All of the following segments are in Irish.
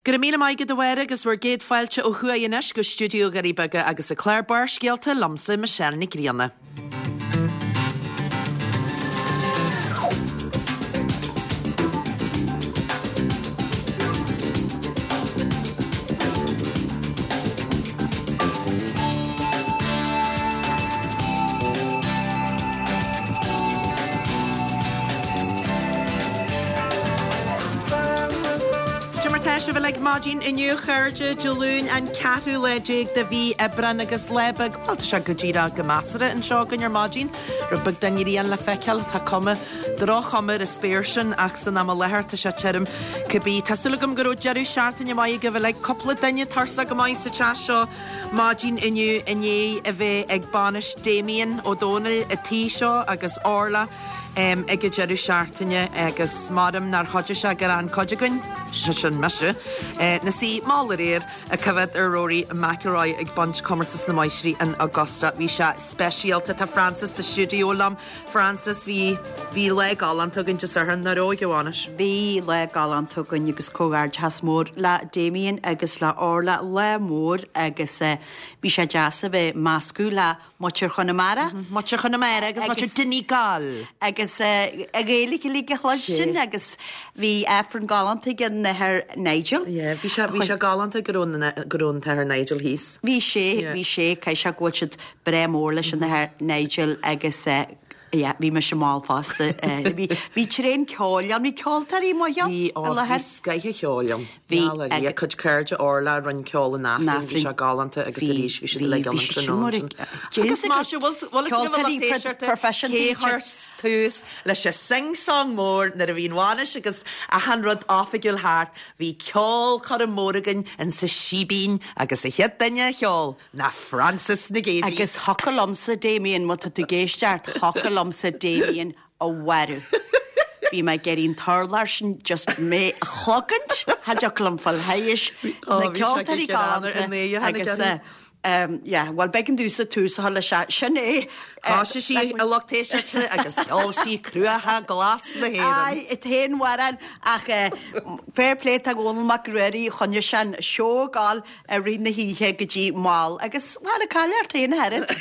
Go raibh míle maith agat a Mháire agus bhur gcéad fáilte ó thuaidh anois go stiúideo Dhoirí Beaga agus an clár Barrscéalta liomsa Michelle Nic Grianna. Cad é mar tá sibh uilig maidin inniu a chairde, Dé Luain an ceathrú lá déag de mhí Aibreán agus lá beag, bhuel tá sé go díreach go measartha anseo againn ar maidin. Rud beag den ghrian le feiceáil, tá cuma, droch-chuma ar an spéir sin ach san am i láthair tá sé tirim cibé. Tá súil agam go raibh deireadh seachtaine maith agaibh uilig. Cúpla duine tuirseach go maith sa teach seo maidin inniu i ndiaidh a bheith ag bainis Damien Ó Dónaill an tí seo agus Orla ag an deireadh seachtaine agus maram nár chuidigh sé gur fhan cuid againn, sé sin mise, 'na suí mall aréir ag coimhéad ar Rory McIlroy ag baint comórtas na máistrí in Augusta. Bhí sé speisialta. Tá Frances sa stiúideo liom. Frances, bhí, bhí lá galánta againn Dé Sathairn, nach raibh ag an bhainis? Bhí lá galánta againn agus comhghairdeachas mór le Damien agus le Orla, lá mór agus bhí sé deas a bheith meascadh le Muintir Chonamara. Muintir Chonamara agus muintir Donegal. Agus an Ghaeilge uilig a chloistin agus bhí Aifreann galánta ag an Athair Nigel. Yeah, bhí sé, bhí sé galánta go raibh, go raibh an tAthair Nigel thíos. Bhí sé, bhí sé, caithfidh sé go bhfuil siad breá mór leis an Athair Nigel agus yeah, bhí mise mall fosta. Bhí, bhí tréan ceoil ann, bhí ceoltóirí maithe ann Bhí, i ó, bhí láthair. scoith an cheoil ann. Bhí, Bhí a cuid cairde Orla a rinne ceol an Aifrinn, bhí sé galánta agus arís bhí siad uilig ann an tráthnóna sin. Agus maise, bhfuil fhios agaibh a lucht éisteachta cé chuir tús leis an sing-song mór nuair a bhí an bhainis agus achan rud oifigiúil thart, bhí ceolchoirm mór againn in sa Síbín agus an chéad duine a cheol ná Frances Nic Géadaigh. Agus thiocfadh liomsa Damien, má tá tú ag éisteacht, thiocfadh liomsa Damien a mharú. Bhí mé ag iarraidh an t-urlár sin just mé a chogaint, cha dtiocfadh liom fáil thairis na ceoltóirí galánta agus yeah, bhuel b'éigean domhsa tús a chur leis sin é. Thoisigh sí a lucht éisteachta agus cheol sí Cruacha Glas na hÉireann. Aye, an t-aon amhrán ach fair play do Dhónall Mac Ruairí, choinnigh sé an seó ag gabháil i rith na hoíche go dtí mall agus cha raibh caill ort féin a oiread.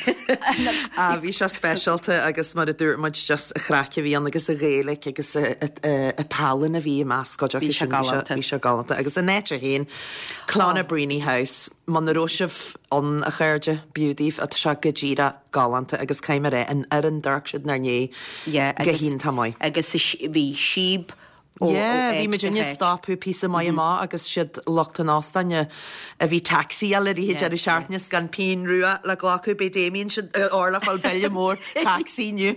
Ah bhí sé speisialta agus mar a dúirt muid just an chraic a bhí ann agus an Ghaeilge agus an tallann a bhí i measc cuid acu Bhí sé sin, galánta. bhí sé galánta. Agus an áit é féin, Clonabreany House, muna raibh sibh ann a chairde, b'fhiú daoibh, tá sé go díreach galánta agus caithfidh mé a rá, an fhoireann d'amharc siad inár ndiaidh Yeah, go agus hiontach maith. agus bhí síob ó Yeah, bhí áit muid go inne háit. stopadh píosa maith amach agus siad lucht an óstáin a bhí taxi-áil i rith an Yeah, deireadh yeah. seachtaine is gan pingin rua le glacadh, beidh Damien sin Orla ag fáil bille mór taxi inniu.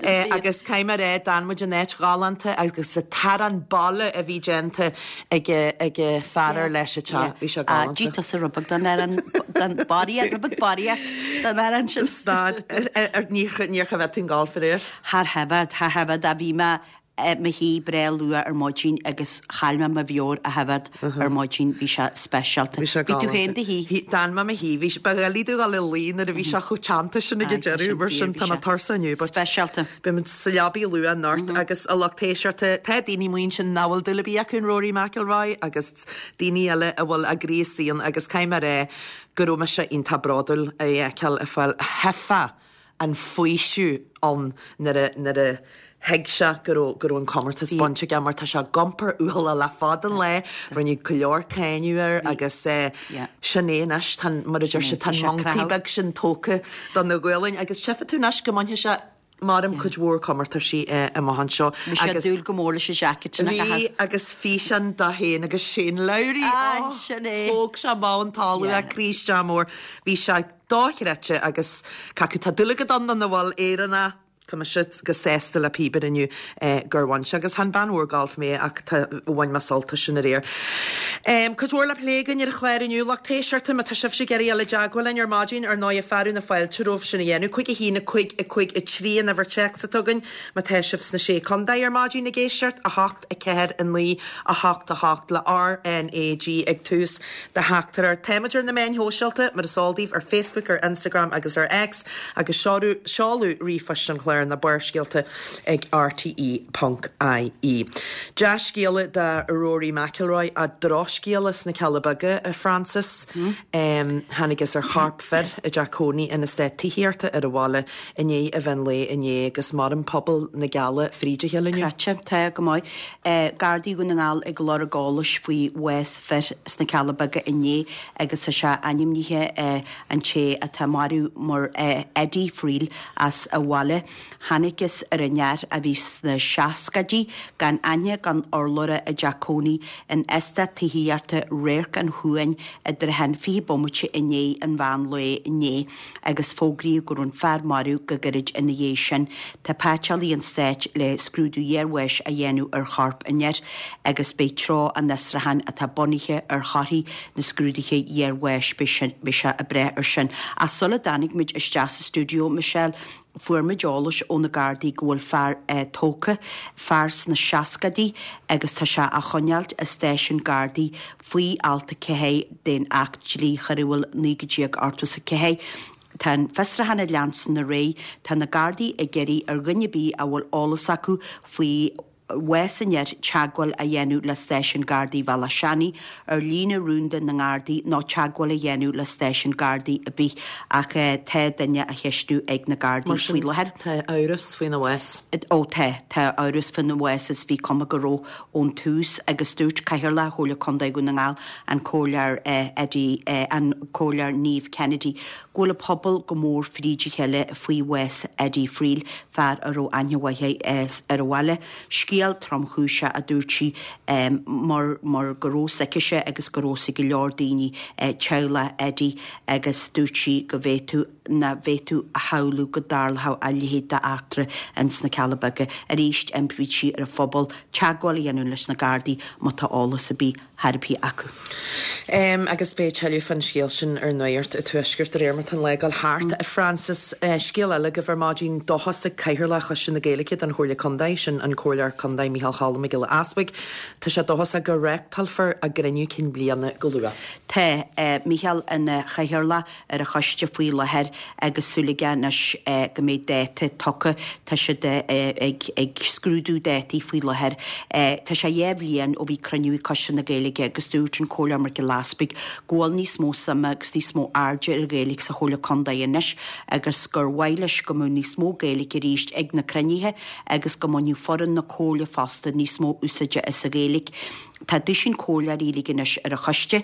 Eh, agus caithfidh mé a rá, d'fhan muid in áit ghalánta agus an t-arán baile a bhí déanta ag ag an fear ar leis an teach, bhí sé Ah, galánta. d'ith tusa rud beag den arán, den barraíocht, rud beag barraíocht den arán sin. Stad, níor níor choimhéad tú an galf aréir? Char choimhéad, char choimhéad, a bhí mé i mo shuí breá luath ar maidin agus chaill mé mo mheabhair a choimhéad ar maidin, bhí sé speisialta. Bhí sé Bhí tú galánta. féin i do shuí? D'fhan mé i mo shuí. Bhí sé, ba dhoiligh domh dul a luí nuair a bhí sé chomh teannta sin ag an deireadh, mar sin tá mé tuirseach inniu but Speisialta. beidh muid sa leabaidh luath anocht agus a lucht éisteachta, tá daoine amuigh ansin nach bhfuil dúil ar bith acu in Rory McIlroy agus daoine eile a bhfuil a gcroí istigh ann agus caithfidh mé a rá go raibh mise iontach bródúil é a fheiceáil ag fáil thuigfeá an faoiseamh ann nuair a nuair a thuig sé go raibh go raibh an comórtas bainte aige mar tá sé ag iompar ualach le fada an lá, rinneadh go leor cáineadh air agus sin é anois, tá an, mar a deir siad, tá an moncaí beag sin tógtha de na gualainn agus tchífidh tú anois go mbainfidh sé maram cuid mhór comórtaisí amach anseo. Bhí sé ag dúil go mór leis an jacket sin a chaitheamh. Bhí agus físeán de féin agus Shane Lowry, Aye, sin é. Thóg sé amach an talamh, a chroí isteach mór. Bhí sé dochreidte agus cé acu tá dúil agat ann nó nach bhfuil, Éireannach, tá mise go sásta le píobaire inniu gur bhain sé agus chan bean mhór gailf mé ach tá, bhain mé sult as sin aréir. Cuid mhór le plé againn ar an chlár inniu, lucht éisteachta, má tá sibhse ag iarraidh dul i dteagmháil linn ar maidin, ar ndóigh fearadh na fáilte romhaibh sin a dhéanamh. 5 1 5 5 3 an uimhir téacs atá againn má tá sibh sna Sé Contae ar maidin ag éisteacht, 8 4 9 8 8 le RnaG ag tús do theachtaireacht. Táimid ar na meáin shóisialta, mar is eol daoibh, ar Facebook, ar Instagram agus ar X, agus seoladh ríomhphoist an chláir. ar na Barrscéalta ag rte ponc ie. Dea-scéala do Rory McIlroy ach drochscéala sna Cealla Beaga, a Frances. Thángthas ar chorp fir i dteach cónaí in eastát tithíochta ar an bhaile i ndiaidh an mheán lae inné agus maireann pobal na gCealla fríd a chéile inniu. Croite, tá go maith. Gardaí Dhún na nGall ag lorg eolais faoi bhás fir sna Cealla Beaga inné agus tá sé ainmnithe an té atá marbh mar Eddie Friel as an bhaile. Thángthas ar an fhear a bhí sna seascaidí gan aithne gan urlabhra i dteach cónaí in eastát tithíochta Radharc an Chuain i dtrátha an 20 bomaite i ndiaidh an mheán lae inné agus fógraíodh go raibh an fear marbh go gairid ina dhiaidh sin. Tá paiteolaí an stáit le scrúdú iarbháis a dhéanamh ar chorp an fhir agus beidh treo an fhiosrúcháin atá bunaithe ar thorthaí na scrúduithe iarbháis, beidh sé ag brath air sin. Ach sula dtáinig muid isteach sa stiúideo, Michelle, Fuair muid eolas ó na Gardaí go bhfuil fear tógtha, fear sna seascaidí agus tá sé á choinneáilt i stáisiún Gardaí faoi alt 4 den Acht Dlí Choiriúil 1984. Tá an fiosrúchán ag leanstan ar aghaidh. Tá na Gardaí ag iarraidh ar dhuine ar bith a bhfuil eolas acu faoi bhás an fhir teagmháil a dhéanamh le Stáisiún Gardaí Bhealach Seanaidh ar líne rúnda na nGardaí nó teagmháil a dhéanamh le stáisiún Gardaí ar bith ach tá duine á cheistiú ag na Gardaí Mar faoi sin, láthair. tá amhras faoina bhás. Ó tá, tá amhras faoina bhás is bhí cuma go raibh ón tús agus dúirt Cathaoirleach Chomhairle Contae Dhún na nGall, an Comhairleoir Eddie, an Comhairleoir Niamh Kennedy, go bhfuil an pobal go mór fríd a chéile faoi bhás Eddie Friel, fear a raibh aithne mhaith air ar an bhaile. Scéal tromchúiseach, a dúirt sí, mar mar go raibh 's aicise agus go raibh 's ag go leor daoine teaghlach Eddie agus dúirt sí go bhféadfadh nach bhféadfadh a shamhlú go dtarlódh a leithéid d'eachtra ins na Cealla Beaga. Arís, impíonn sí ar an phobal teagmháil a dhéanamh leis na Gardaí má tá eolas ar bith chor ar bith acu. Agus beidh tuilleadh fán scéal sin ar Nuacht an Tuaiscirt de réir mar atá an lá ag dul thart. A Frances, scéal eile agaibh ar maidin, dóchas ag Cathaoirleach Choiste na Gaeilge don Chomhairle Contae, sin an Comhairleoir Contae Micheál Cholm Mac Giolla Easbuig, tá sé dóchasach go reáchtálfar a gcruinniú cinn bliana go luath. Tá Micheál ina chathaoirleach ar an choiste faoi láthair agus súil aige anois go mbeidh dáta tugtha. Tá siad ag scrúdú dátaí faoi láthair. Tá sé dhá bhliain ó bhí cruinniú ag Coiste na Gaeilge agus dúirt an Comhairleoir Mac Giolla Easbuig go bhfuil níos mó suime agus níos mó airde ar an Ghaeilge sa Chomhairle Contae anois agus gur mhaith leis go mbeadh níos mó Gaeilge arís ag na cruinnithe agus go mbainfeadh foireann na Comhairle fosta níos mó úsáide as an Ghaeilge. Tá duisín comhairleoirí uilig anois ar an choiste.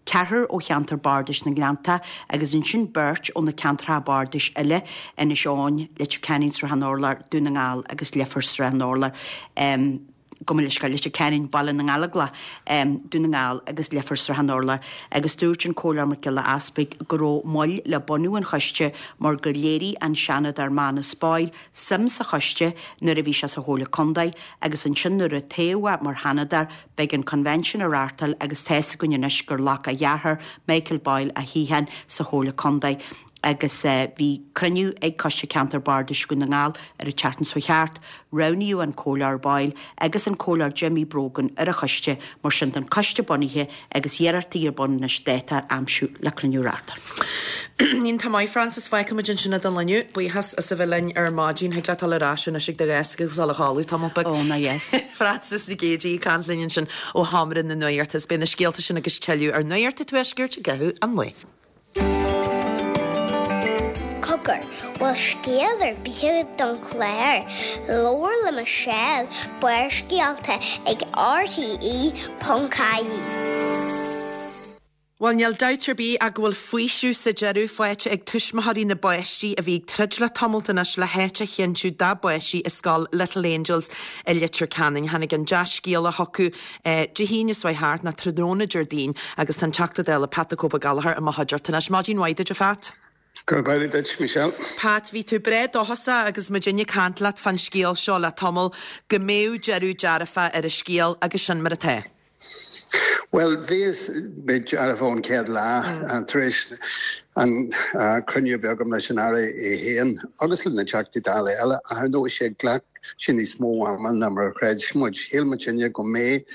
ceathrar ó cheantar bardais na nGleannta agus ansin beirt ó na ceantracha bardais eile, Inis Eoghain, Leitir Ceanainn, Srath an Urláir, Dún na nGall agus Leifear, Srath an Urláir, gabh mo leithscéal, Leitir Ceanainn, Baile na nGallóglach, Dún na nGall agus Leifear, Srath an Urláir. Agus dúirt an Comhairleoir Mac Giolla Easbuig go raibh moill le bunú an choiste mar gur léirigh an Seanadóir Manus Boyle suim sa choiste nuair a bhí sé sa Chomhairle Contae agus ansin nuair a toghadh é mar Sheanadóir Beidh an Convention á reáchtáil agus tá 'fhios againn anois gur ghlac a dheartháir, Michael Boyle, a shuíochán sa Chomhairle Contae agus bhí cruinniú ag Coiste Ceantar Bardais Dhún na nGall ar an tseachtain seo thart. Roghnaíodh an Comhairleoir Boyle agus an Comhairleoir Jimmy Brogan ar an choiste, mar sin tá an coiste bunaithe agus iarrachtaí ar bun anois dáta a aimsiú le cruinniú a reáchtáil. Iontach maith, Frances. Fágfaidh muid ansin é don lá inniu. Buíochas as a bheith linn ar maidin. Thig leat dul ar ais anois ag do dheasc agus dul a chodladh tamall beag. Ó, ná yes. Frances Nic Géadaigh ag caint linn ansin ó Sheomra na Nuachta. Is beidh na scéalta sin agus tuilleadh ar Nuacht an Tuaiscirt i gcaitheamh an lae. Cogar, bhfuil scéal ar bith agat don chlár? Labhair le Michelle, Barrscéalta ag RTE.ie. Bhuel, níl dabht ar bith ach go bhfuil faoiseamh sa deireadh faighte ag tuismitheoirí na bpáistí a bhí ag troid le tamalt anois le háit a chinntiú dá bpáistí i scoil Little Angels i Leitir Ceanainn. Tháinig an dea-scéala chucu Dé hAoine seo chuaigh thart, nó tráthnóna Déardaoin, agus tá an Teachta Dála Pat 'The Cope Gallagher i mo chuideachta anois. Maidin mhaith duit, a Phat. Go raibh maith duit, Michelle. Pat, bhí tú breá dóchasach agus muidinne ag caint leat fán scéal seo le tamall, go mbeadh deireadh dearfach ar an scéal agus sin mar atá. Bhuel, bhíos mé dearfach ón chéad lá. Tar éis. An cruinniú a bhí agam leis an Aire é féin agus le na Teachtaí Dála eile, ach ar ndóigh sé ghlac sé níos mó ama ná mar a chreid muid. Shíl muidinne go mbeadh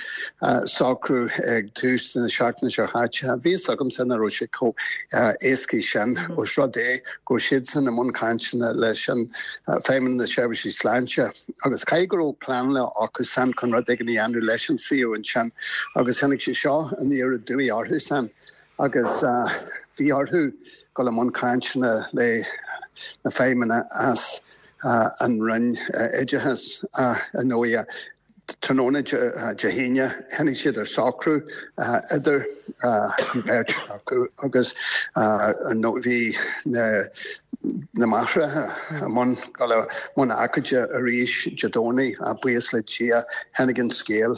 socrú ag tús na seachtaine seo chaite. Bhí fhios agamsa nach raibh sé chomh éascaí sin, ós rud é go raibh siadsan i mbun cainteanna leis an Feidhmeannas na Seirbhísí Sláinte agus caithfidh go raibh pleananna acu san chun rud éigin a dhéanamh leis an suíomh ansin agus tháinig sé seo aniar aduaidh orthu san. agus bhí orthu dul i mbun cainteanna le na feidhmeanna as an Roinn Oideachais. Ar ndóigh, tráthnóna Dé hAoine, tháinig siad ar socrú idir an bheirt acu agus ar ndóigh bhí na na máithreacha i mbun dul i mbun agóide arís Dé Domhnaigh, buíochas le Dia, tháinig an scéal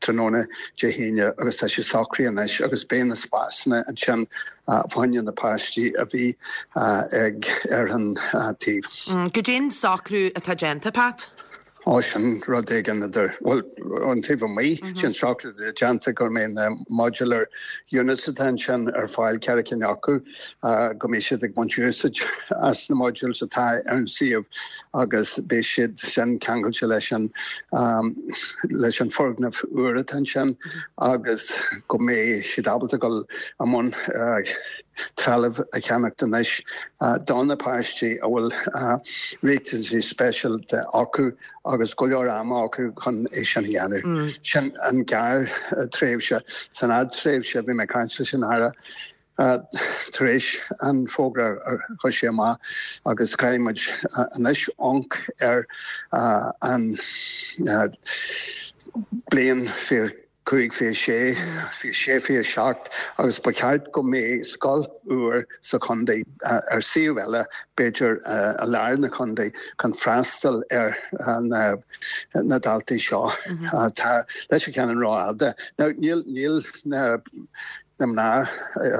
tráthnóna Dé hAoine agus tá sé socraithe anois agus beidh na spásanna ansin fá choinne na páistí a bhí ag ar an taobh. Goidé an socrú atá déanta, Pat? Ó, sin rud éigin idir, bhuel, ón taobh amuigh, sin socrú atá déanta go mbeidh na modular units atá ansin ar fáil, 4 cinn acu, go mbeidh siad ag baint úsáid as na modules atá ar an suíomh agus beidh siad sin ceangailte leis an, leis an foirgneamh úr atá ansin agus go mbeidh siad ábalta dul i mbun trealamh a cheannacht anois do na páistí a bhfuil riachtanaisí speisialta acu agus go leor ama acu chun é sin a dhéanamh. Sin an gearr-tréimhse. San fhadtréimhse, bhí mé ag caint leis an Aire tar éis an fógra a chuir sé amach agus caithfidh muid anois amharc ar an bliain 5, 26, 26, 27 agus ba cheart go mbeadh scoil úr sa chontae ar suíomh eile, b'fhéidir i lár na contae, chun freastal ar na daltaí seo. Tá Leitir Ceanainn rófhada. Now níl níl na na mná,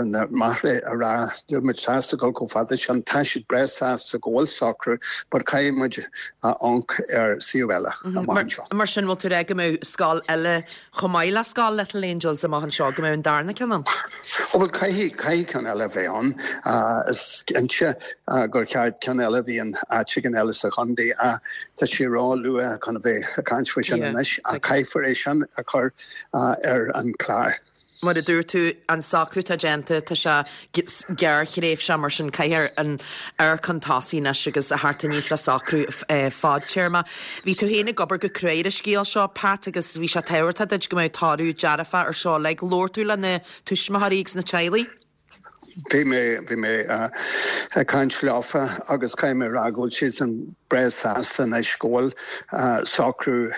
na máithreacha ag rá níl muid sásta dul chomh fada sin, tá siad breá sásta go bhfuil socrú but caithfidh muid amharc ar suíomh eile amach anseo. Mar sin, bhfuil tú ag rá go mbeadh scoil eile chomh maith le scoil Little Angels amach anseo, go mbeadh an darna ceann ann? Ó bhuel caithfidh, caithfidh ceann eile a bheith ann. Is cinnte gur cheart ceann eile a bheith in áit éigin eile sa chontae ach tá sé ró-luath chun a bheith ag caint faoi sin anois ach caithfear é sin a chur ar an chlár. Mar a dúirt tú, an socrú atá déanta, tá sé gearrthréimhseach, mar sin caithfear amharc chun tosaigh anois agus a theacht aníos le socrú fadtéarma. Bhí tú féin ag obair go crua ar an scéal seo, Pat, agus bhí sé tábhachtach duit go mbeadh toradh dearfach ar seo uilig. Labhair tú le na tuismitheoirí agus na teaghlaigh? Bhí mé, bhí mé ag caint leofa agus caithfidh mé a rá go bhfuil siadsan breá sásta anois go bhfuil socrú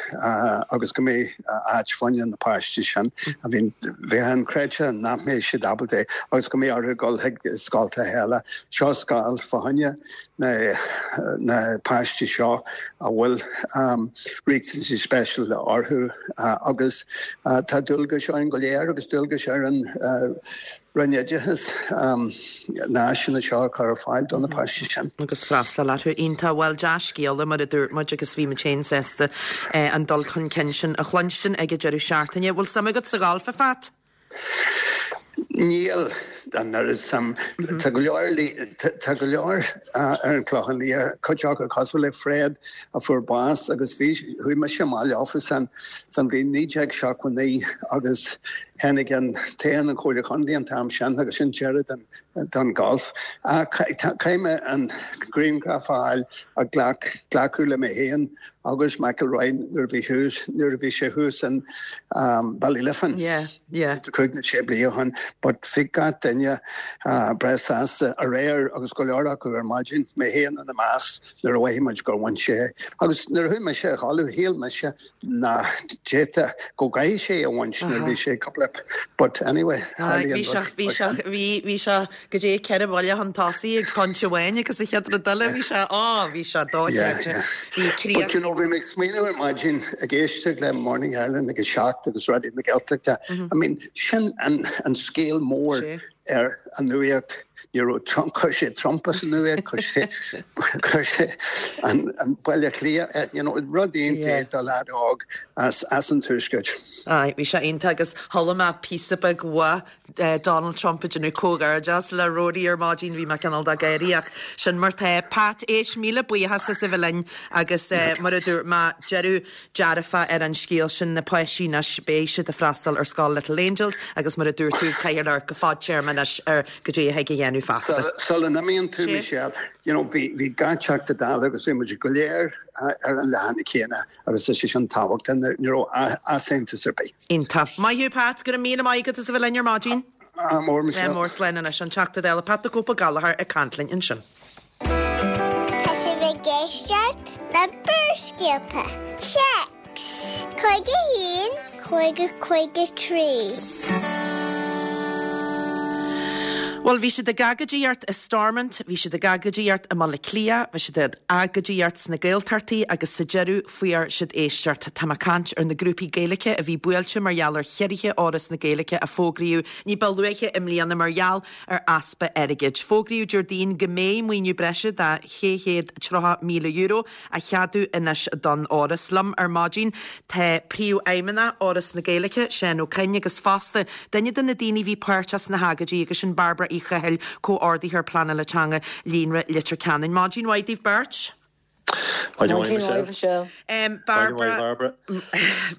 agus go mbeidh áit fá choinne na páistí sin a bhíonn, bheadh inchreidte nach mbeidh siad ábalta é agus go mbeidh orthu dul chuig scoltacha eile. Seo scoil fá choinne na, na páistí seo a bhfuil riachtanaisí speisialta orthu agus tá dualgais orainn go léir agus dualgais ar an Roinn Oideachais na háiseanna seo a chur ar fáil do na páistí sin. Agus freastal orthu. Iontach. Bhuel, dea-scéala, mar a dúirt muid, agus bhí muid féin sásta an dul chun cinn sin a chluinstin ag an deireadh seachtaine. Bhfuil suim agat sa ghalf, a Phat? Níl an oiread suim. Tá go leor, tá go leor ar an Chlochán Liath, cuid acu cosúil le Fred a fuair bás agus bhí, chuaigh mise amach leofa san, san bhliain 1979 agus Tháinig an toghchán an Chomhairle Chontae an t-am sin agus sin deireadh don don golf. Caithfidh mé an grianghraf a fháil a ghlac glacadh le mé féin agus McIlroy nuair a bhí thuas nuair a bhí sé thuas in Ballyliffin. Yeah, yeah. 5 nó 6 bliain ó shin but bhí gach duine breá sásta aréir agus go leor acu ar maidin, mé féin ina measc nuair a mhothaigh muid gur bhain sé é. Agus nuair a chuaigh mise a chodladh shíl mise nach d'fhéadfadh go gcaithfidh sé a bhaint nuair a bhí sé cúpla but anyway tharlaigh an rud bhí sé bhí bhí sé go dtí 4 bhuille chun tosaigh ag pointe amháin agus an chéad rud eile bhí sé á bhí sé dochreidte bhí críoch But you know bhí mé ag smaoineamh ar maidin ag éisteacht le Morning Ireland ag a 7 agus Raidió na Gaeltachta I mean sin an an scéal mór. Ar an nuacht, ní raibh Trump, chuir sé Trump as an nuacht, chuir sé, chuir sé an, an Baile Átha Cliath, you know, rud iontach do leaid óg as, as an Tuaisceart. Aye, bhí sé iontach agus chuala mé píosa beag uaidh Donald Trump ag déanamh comhghairdeas le Rory ar maidin, bhí mé cineál de gáirí ach sin mar tá. Pat, éist, míle buíochas as a bheith linn agus mar a dúirt mé, deireadh dearfach ar an scéal sin, na páistí anois, beidh siad ag freastal ar scoil Little Angels agus mar a dúirt tú, caithfear amharc go fadtéarma anois ar goidé a thig a dhéanamh feasta. Sula n-imíonn tú, Michelle, you know, bhí, bhí gach Teachta Dála agus bhí muid go léir ar an leathanach céanna agus tá sé sin tábhachtach, ní raibh easaontas ar bith. Iontach. Maith thú Pat, go raibh míle maith agat as a bheith linn ar maidin. Ádh mór, Michelle. Ádh mór, slán anois. An Teachta Dála Pat the Cope Ó Gallchóir ag caint linn ansin. Tá sibh ag éisteacht le Barrscéalta. Téacs 51 50 53. Bhuel, bhí siad ag agóidíocht i Stormont, bhí siad ag agóidíocht i mBaile Átha Cliath, bhí siad ag agóidíocht sna Gaeltachtaí agus sa deireadh fuair siad éisteacht. Tá mé ag caint ar na grúpaí Gaeilge a bhí buailte mar gheall ar chiorruithe Fhoras na Gaeilge a fógraíodh ní ba luaithe i mbliana mar gheall ar easpa airgid. Fógraíodh Déardaoin go mbeidh maoiniú breise de €630,000 á cheadú anois don Fhoras. Liom ar maidin tá Príomhfheidhmeannach Fhoras na Gaeilge, Seán Ó Coinn, agus fosta duine de na daoine a bhí páirteach sna hagóidí agus sin Bairbre Uí Chathail, Comhordaitheoir Pleanála Teanga Líonra Leitir Ceanainn. Maidin mhaith daoibh beirt. Maidin mhaith, Michelle. Bairbre,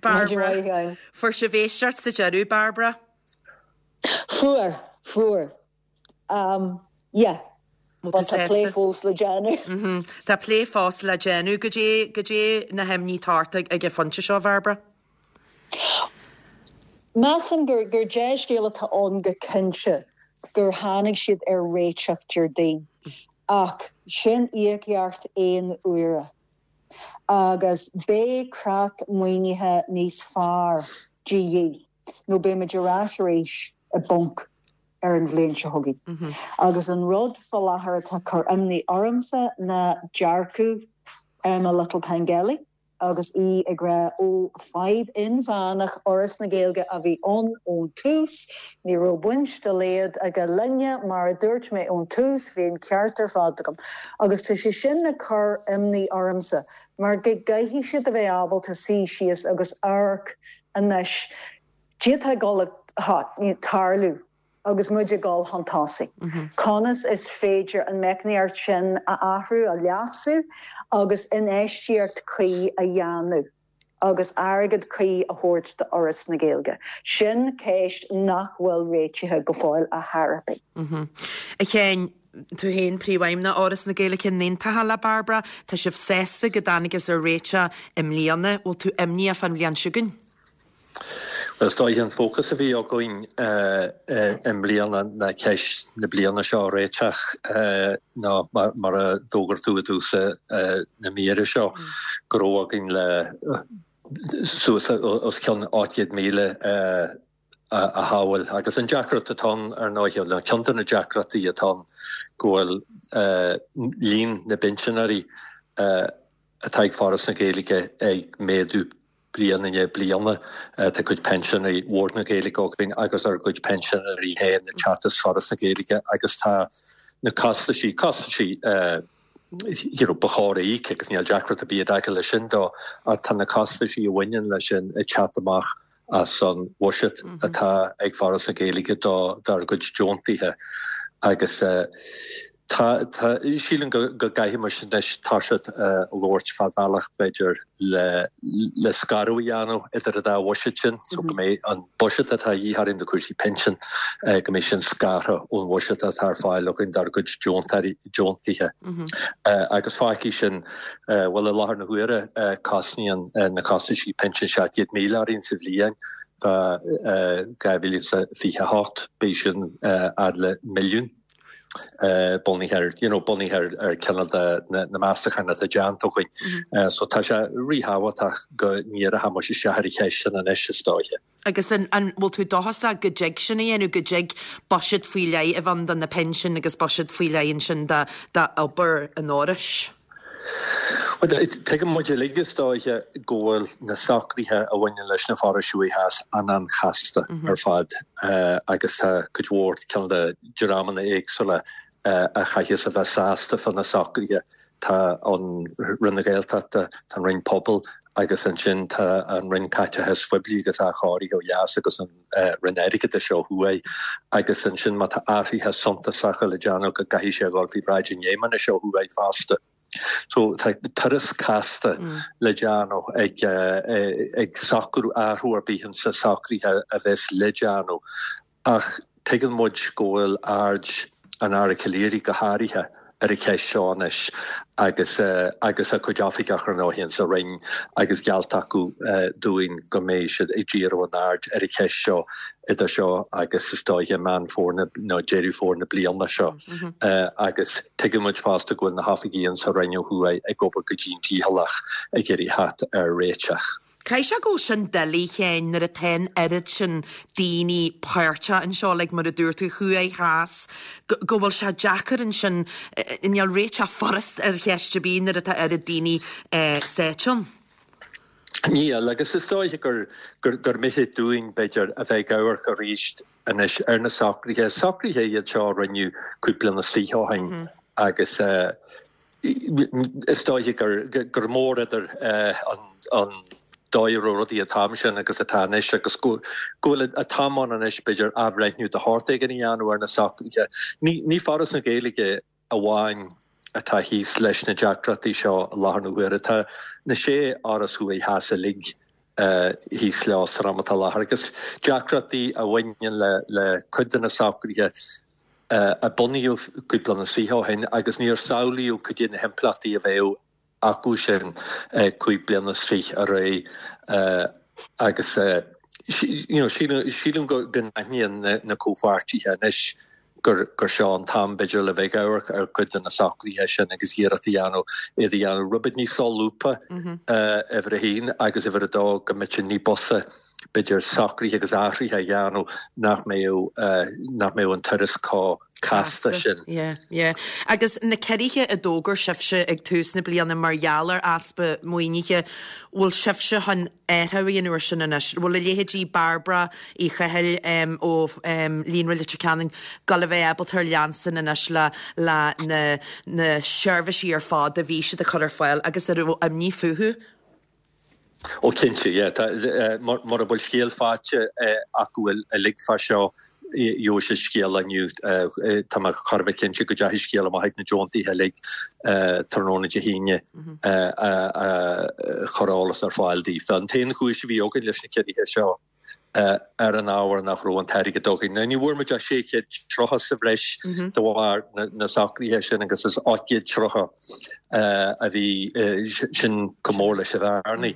Bairbre, fuair sibh éisteacht sa deireadh, Bairbre? Fuair, fuair. Um, yeah. Bhfuil tú But tá plé sásta? fós le déanamh. Tá plé fós le déanamh. Goidé, goidé na himní atá ort ag an phointe seo, a Bhairbre? Measaim gur, gur dea-scéal atá ann go cinnte gur tháinig siad ar réiteach Déardaoin. Ach sin íocaíocht aon uaire. Agus beidh creat maoinithe níos fearr de dhíth. nó beidh muid ar ais arís i bponc ar an bhliain seo chugainn. Agus an rud fá láthair atá ag cur imní ormsa ná dearcadh Emma Little-Pengelly agus í ag rá ó fadhb inmheánach Fhoras na Gaeilge a bhí ann ón tús, ní raibh baint dá laghad aige linne, mar a dúirt mé ón tús, bhí an ceart ar fad agam. Agus tá sé sin ag cur imní ormsa mar go gcaithfidh siad a bheith ábalta suí síos agus amharc Anois, cad é atá ag dul a tarlú agus muid ag dul chun tosaigh. Conas is féidir an meicníocht sin a athrú, a leasú agus infheistíocht cuí a dhéanamh agus airgead cuí a thabhairt d'Fhoras na Gaeilge? Sin ceist nach bhfuil réitithe go fóill ar chor ar bith. A Sheáin, tú féin, Príomhfheidhmeannach Fhoras na Gaeilge, an aontófá le Bairbre? Tá sibh sásta go dtángthas ar réiteach i mbliana. Bhfuil tú imníoch fán bhliain seo chugainn? Bhuel, is dóiche an fócas a bhí againn i mbliana ná ceist na bliana seo a réiteach nó mar a d'fhógair tú i dtús na míre seo go raibh againn le suas os cionn 800,000 a shábháil. Agus an deacracht atá ann, ar ndóigh, nó ceann de na deacrachtaí atá ann, go bhfuil líon na bpinsinéirí atá ag Foras na Gaeilge ag méadú bliain i ndiaidh bliana. Tá cuid pinsinéirí Bhord na Gaeilge againn agus ár gcuid pinsinéirí féin ag teacht as Foras na Gaeilge agus tá na costaisí, costaisí you know, ba chóir a íoc agus níl deacracht ar bith i dtaca leis sin dó, ach tá na costaisí a bhaineann leis sin ag teacht amach as an bhuiséad atá ag Foras na Gaeilge dár gcuid deontaithe agus tá, tá, sílim go gcaithfidh muid anois toiseacht ag labhairt fá bhealach b'fhéidir le, le scaradh a dhéanamh idir an dá bhuiséad sin so go mbeidh an buiséad atá a dhíth orainn do chúrsaí pinsin, go mbeidh sin scartha ón bhuiséad atá ar fáil againn dár gcuid deontóirí, deontaithe. Agus fágfaidh sin, bhuel i láthair na huaire cosnaíonn na costaisí pinsin 700,000 orainn sa bhliain, fá 2028 beidh sin fhad le milliún bunaithe ar, you know, bunaithe ar ar cineál de na meastacháin atá déanta againn. So tá sé ríthábhachtach go ndíreoidh muid isteach ar an cheist sin anois is dóiche. Agus an bhfuil tú dóchasach go dtig sin a dhéanamh, go dtig buiséad faoi leith a bheith ann do na pinsin agus buiséad faoi leith ansin d'obair an Fhorais? Bhuel, tuigeann muid uilig is dóiche go bhfuil na socruithe a bhaineann leis na forais thuaidh theas an-an-chasta ar fad agus tá cuid mhór cineál de dreamanna éagsúla a chaithfeas a bheith sásta fá na socruithe. Tá an Roinn na Gaeltachta, tá an Roinn Pobal agus ansin tá an Roinn Caiteachais Phoiblí agus Athchóirithe ó dheas agus an Roinn Airgeadais ó thuaidh agus ansin má tá athruithe suntasacha le déanamh go gcaithfidh sé a dhul faoi bhráid an Fheidhmeannais ó thuaidh fosta. So tá turas casta le déanamh ag ag socrú athrú ar bith insa socruithe a bheas le déanamh ach tuigeann muid go bhfuil aird an Aire Calleary go háirithe ar an cheist seo anois agus agus a cuid oifigeach ar ndóigh insa Roinn agus geallta acu dúinn go mbeidh siad ag díriú a n-aird ar an cheist seo idir seo agus is dóiche Meán Fómhair nó Deireadh Fómhair na bliana seo agus tuigeann muid fosta go bhfuil na hoifigigh insa Roinn ó thuaidh ag obair go dian dícheallach ag iarraidh theacht ar réiteach. Caithfidh sé go bhfuil sin doiligh a Sheáin nuair atá an oiread sin daoine páirteach anseo, like mar a dúirt tú, thuaidh, theas, go, go bhfuil sé deacair ansin, níl réiteach furast ar cheist ar bith nuair atá oiread daoine sáite ann. Níl, agus is dóiche gur, gur, gur mithid dúinn, b'fhéidir, a bheith ag amharc arís anois ar na socruithe. Socruithe iad seo a rinneadh cúpla bliain is fiche ó shin agus, Is dóiche gur mór idir an dóigh a raibh rudaí an t-am sin agus atá anois agus go bhfuil an t-am ann anois, b'fhéidir, athbhreithniú de shórt éigin a dhéanamh ar na socruithe. Ní Foras na Gaeilge amháin atá thíos leis na deacrachtaí seo i láthair na huaire. Tá na sé fhoras thuaidh theas uilig thíos leo san am atá i láthair agus deacrachtaí a bhaineann le cuid de na socruithe a bunaíodh cúpla bliain is fiche ó shin agus níor samhlaíodh cad é na himpleachtaí a bheadh acu sin 25 bliana ar aghaidh agus you know sílim go n-aithníonn na comhpháirtithe anois gur gur seo an t-am b'fhéidir le bheith ag amharc ar chuid de na socruithe sin agus iarracht a dhéanamh iad a dhéanamh rud beag níos solúbtha uimhir a haon agus uimhir a dó go mbeadh sé ní b'fhusa b'fhéidir, socruithe agus athruithe a dhéanamh nach mbeadh, nach mbeadh an turas chomh casta sin. Yeah, yeah. Agus na ciorruithe a d'fhógair sibhse ag tús na bliana mar gheall ar easpa maoinithe, bhfuil sibhse chun athrú a dhéanamh air sin anois? Bhfuil a leithéidí Bairbre Uí Chathail ó Líonra Leitir Ceanainn ag dul a bheith ábalta ar leanstan anois le le na na seirbhísí ar fad a bhí siad a chur ar fáil agus a raibh imní fúthu? Ó cinnte, yeah. Tá, mura bhfuil scéal faighte acu uilig fá seo, gheobhaidh siad scéal inniu. Tá mé chóir a bheith cinnte go dteachaigh scéal amach ag na deontaithe uilig tráthnóna Dé hAoine a chuir eolas ar fáil daofa. An t-aon chúis a bhí againn leis na ciorruithe seo, ar an ábhar nach raibh an t-airgead againn. Now ní bhfuair muid ach 630 sa bhreis de bharr na socruithe sin agus is 830 a bhí sin chomh mór leis an bhearnaí.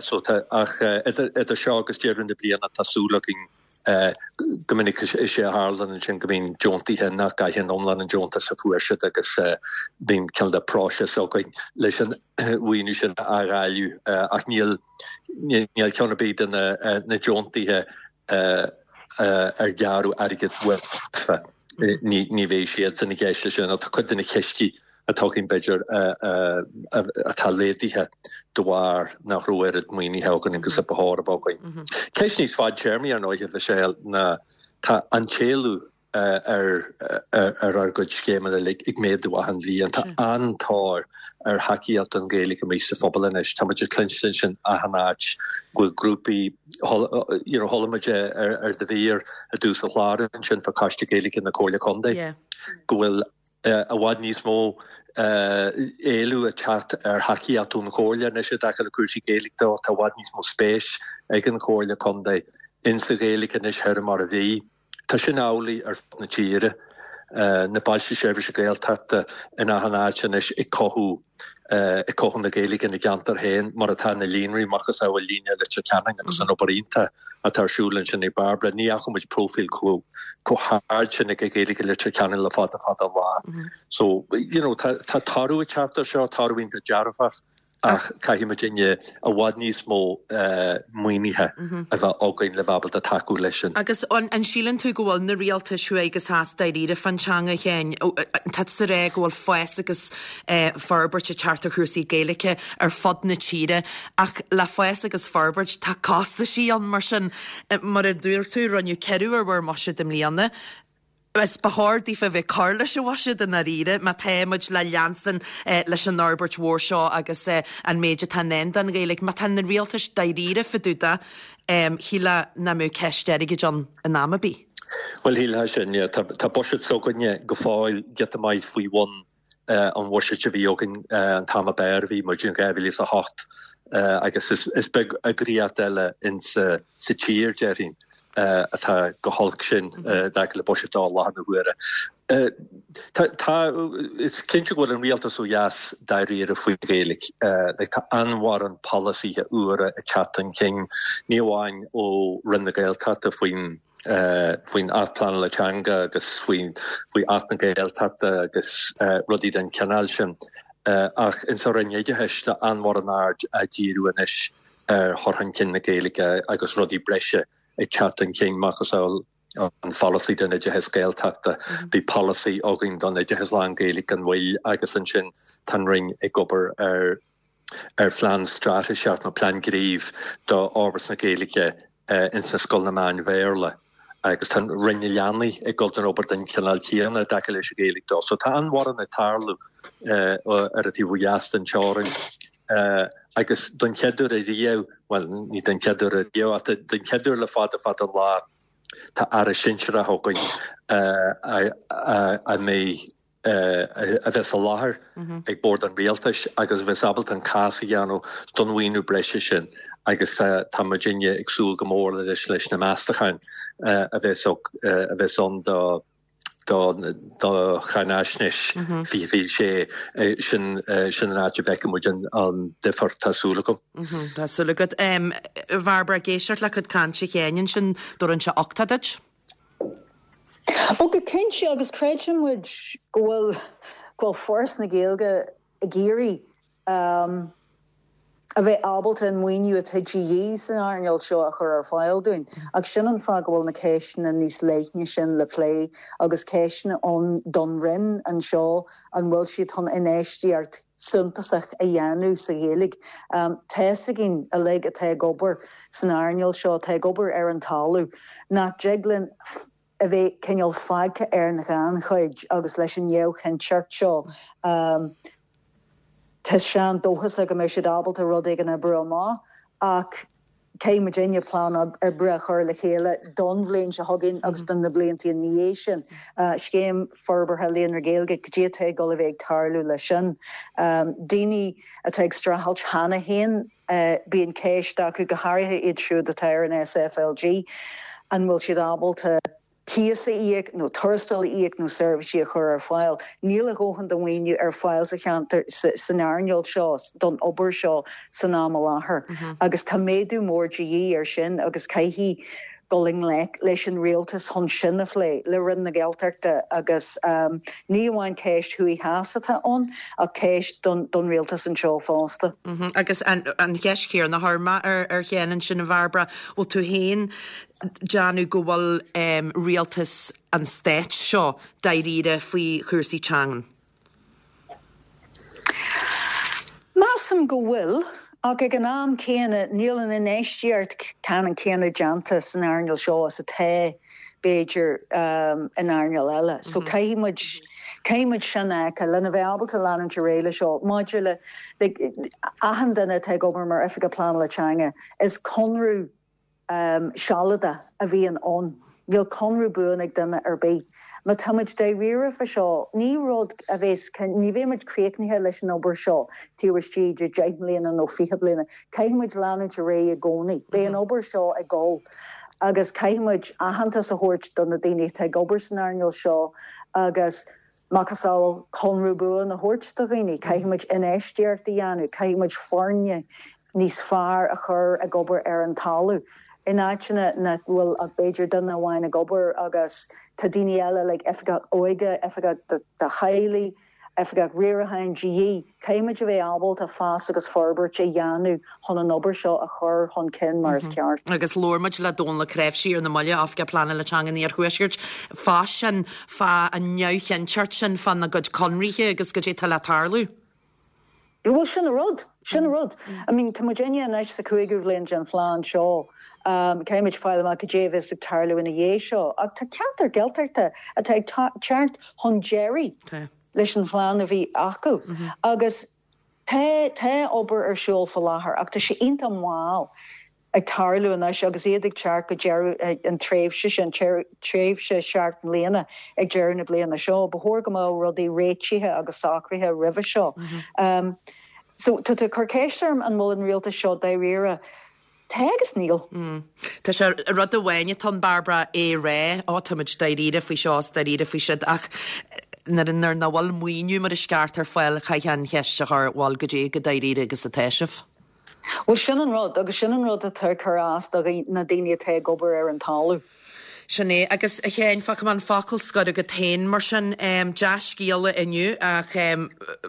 So tá ach idir seo agus deireadh na bliana tá súil againn go minic is é a tharlann ansin go mbíonn deontaithe nach gcaitheann iomlán an deontais a fuair siad agus bíonn cineál de próiseas againn leis an mhaoiniú sin a athdháileadh ach níl Níl ceann ar bith de na deontaithe ar gearradh airgead uafa. Ní bheidh siadsan i gceist leis sin. Tá cuid de na cistí atá againn, b'fhéidir, atá laghdaithe de bharr nach raibh oiread maoinithe againn agus a ba chóir a bheith againn. Ceist níos fadtéarmaí, ar ndóigh, a Mhichelle, ná tá an t-éileamh ar ár gcuid scéimeanna uilig ag méadú achan bhliain. Tá an-tóir ar thacaíocht don Ghaeilge amuigh sa phobal anois. Tá muid ag cluinstin sin achan áit go bhfuil grúpaí, you know, chuala muid ar do mhír i dtús an chláir ansin fá Choiste Gaeilge na Comhairle Contae go bhfuil i bhfad níos mó éileamh ag teacht ar thacaíocht ón Chomhairle anois i dtaca le cúrsaí Gaeilge de. Tá i bhfad níos mó spéis ag an Chomhairle Contae insa Ghaeilge anois thoir mar a bhí. Tá sin amhlaidh ar fud na tíre. Na Bailte Seirbhíse Gaeltachta in achan áit anois ag cothú ag cothú na Gaeilge ina gceantar féin, mar atá na líonraí, macasamhail Líonra Leitir Ceanainn agus an obair iontach atá ar siúl ansin ag Bairbre. Ní fhaca muid próifíl chomh chomh hard sin ag Gaeilge Leitir Ceanainn le fada fada an lá. So, you know, tá tá toradh ag teacht ar seo, toradh iontach dearfach. Ach caithfidh muidinne i bhfad níos mó maoinithe a bheith againn le bheith ábalta tacú leis sin. Agus an síleann tú go bhfuil na rialtais thuaidh agus theas dáiríre fán teanga, a Sheáin? Tá tú ag rá go bhfuil fás agus forbairt ag teacht ar chúrsaí Gaeilge ar fud na tíre ach le fás agus forbairt tá costaisí ann mar sin. Mar a dúirt tú, rinneadh ciorrú ar bhur mbuiséad i mbliana. Is ba chóir daofa a bheith ag cur leis an bhuiséad i ndáiríre má tá muid le leanstan leis an fhorbairt mhór seo agus an méid atá i ndán don Ghaeilge. Má tá na rialtais dáiríre fá dtaobh de, shílfeá nach mbeadh ceist airgid ann in am ar bith. Bhuel, shílfeá sin, yeah. Tá buiséad s'againne go fóill giota maith faoi bhun an bhuiséid a bhí againn an t-am ab fhearr a bhí muid in 2008 agus is beag eagraíocht eile insa tír, déarfainn, atá chomh holc sin i dtaca le buiséad de i láthair na huaire. Tá, is cinnte go bhfuil an rialtas ó dheas dáiríre faoin Ghaeilge. Tá an-mhórán polasaithe úra ag teacht chun cinn, ní amháin ó Roinn na Gaeltachta faoin faoin Acht Pleanála Teanga agus faoi faoi Acht na Gaeltachta agus rudaí den chineál sin. Ach insa Roinn Oideachais tá an-mhórán aird á díriú anois ar chur chun cinn na Gaeilge agus rudaí breise ag teacht chun cinn, macasamhail an pholasaí don oideachas Gaeltachta. Bhí polasaí againn don oideachas lán-Ghaeilge gan mhoill agus ansin tá an Roinn ag obair ar ar phlean straitéiseach nó plean gnímh do fhorbairt na Gaeilge ins na scoileanna meán-Bhéarla agus tá Roinn na Leanaí ag dul don obair den chineál céanna i dtaca leis an Ghaeilge dó. So tá an-mhórán ag tarlú ar an taobh ó dheas den teorainn agus don chéad uair ariamh, bhuel ní don chéad uair ariamh ach don chéad uair le fada fada an lá tá Aire Sinsearach againn a mbeidh a bheas i láthair ag bord an rialtais agus a bheas ábalta an cás a dhéanamh don mhaoiniú breise sin agus tá muidinne ag súil go mór leis leis na meastacháin a bheas a bheas ann do do do cháinaisnéis 2026 sin sin an áit a bhfeicfidh muid an an difear tá súil agam. Tá súil agat. A Bhairbre, ag éisteacht le cuid cainte Sheáin ansin, dtabharann sé uchtach duit? Ó go cinnte agus creideann muid go bhfuil go bhfuil Foras na Gaeilge ag iarraidh a bheith ábalta an maoiniú atá de dhíth san earnáil seo a chur ar fáil dúinn. Ach sin an fáth go bhfuil na ceisteanna níos leithne sin le plé agus ceisteanna ann don Roinn anseo an bhfuil siad chun infheistíocht suntasach a dhéanamh sa Ghaeilge. Tá's againn uilig atá ag obair san earnáil seo, atá ag obair ar an talamh, nach dtig linn a bheith cineál fágtha ar an ghannchuid agus leis an neamhchinnteacht seo tá seans dóchasach go mbeidh siad ábalta rud éigin a oibriú amach ach caithfidh muidinne plean oibre a chur le chéile don bhliain seo chugainn agus do na blianta ina dhiaidh sin. Scéim Forbartha Líonra Gaeilge, cad é atá ag dul a bheith ag tarlú leis sin? Daoine atá ag streachailt cheana féin, Bíonn ceist acu, go háirithe iad siúd atá ar an SFLG, an bhfuil siad ábalta cíos a íoc nó tuarastal a íoc nó seirbhísí a chur ar fáil. Níl a dhóthain de mhaoiniú ar fáil sa cheantar, san earnáil seo, don obair seo san am i láthair agus tá méadú mór de dhíth air sin agus caithfidh dul i ngleic leis an rialtas chun sin a phlé le Roinn na Gaeltachta agus ní amháin ceist thuaidh theas atá ann ach ceist don rialtas anseo fosta. Agus an cheist chéanna a chuir mé ar Sheán ansin, a Bhairbre, bhfuil tú féin déanamh go bhfuil rialtas an stáit seo dáiríre faoi chúrsaí teangan? Measaim go bhfuil, ach ag an am céanna níl an infheistíocht ceannann céanna déanta san earnáil seo is atá, b'fhéidir, in earnáil eile. So caithfidh muid, caithfidh muid sin a fheiceáil lena bheith ábalta leanúint ar aghaidh leis seo. Maidir le, like, achan duine atá ag obair mar Oifigeach Pleanála Teanga, is conradh, sealadach a bhíonn ann. Níl conradh buan ag duine ar bith. Má tá muid dáiríre fá seo, ní rud a bheas, ní bheidh muid críochnaithe leis an obair seo taobh istigh de dheich mbliana nó 20 bliana. Caithfidh muid leanúint ar aghaidh i gcónaí. Beidh an obair seo ag dul agus caithfidh muid aitheantas a thabhairt do na daoine atá ag obair san earnáil seo agus macasamhail conradh buan a thabhairt do dhaoine. Caithfidh muid infheistíocht a dhéanamh, caithfidh muid foirne níos fearr a chur ag obair ar an talamh. In áiteanna nach bhfuil ach b'fhéidir duine amháin ag obair agus tá daoine eile like oifigeach óige, oifigeach do theaghlaigh. Oifigeach Riaracháin de dhíth. Caithfidh muid a bheith ábalta fás agus forbairt a dhéanamh chun an obair seo a chur chun cinn mar is ceart. Agus labhair muid le Dónal Ó Cnáimhsí ar na mallaibh, Oifigeach Pleanála Teanga an Iarthuaiscirt, fá sin, fá an neamhchinnteacht sin fána gcuid conraithe agus goidé atá le tarlú. Bhuel, sin an rud. Sin an rud. I mean, tá muidinne anois sa chúigiú bhliain den phlean seo. Caithfidh muid fáil amach cad é a bheas ag tarlú ina dhiaidh seo. Ach tá ceantar Gaeltachta atá ag teacht chun deiridh leis an phlean a bhí acu. Agus tá, tá obair ar siúl faoi láthair ach tá sé iontach mall. ag tarlú anois agus iad ag teacht go deireadh an tréimhse sin, tréimhse sheacht mbliana ag deireadh na bliana seo. Ba chóir go mbeadh rudaí réitithe agus socraithe roimhe seo. So tá tú ag cur ceist orm an bhfuil an rialtas seo dáiríre. Tá agus níl. Tá sé, rud amháin atá ann Bairbre, é a rá, ó tá muid dáiríre faoi seo is dáiríre faoi siúd ach nuair nach bhfuil maoiniú mar is ceart ar fáil caithfidh an cheist a chur, bhuel goidé chomh dáiríre agus atá sibh? Bhuel, sin an rud, agus sin an rud atá ag cur as do na daoine atá ag obair ar an talamh. Sin é. Agus, a Sheáin, fágfaidh mé an focal scoir agat féin, mar sin. Dea-scéala inniu, ach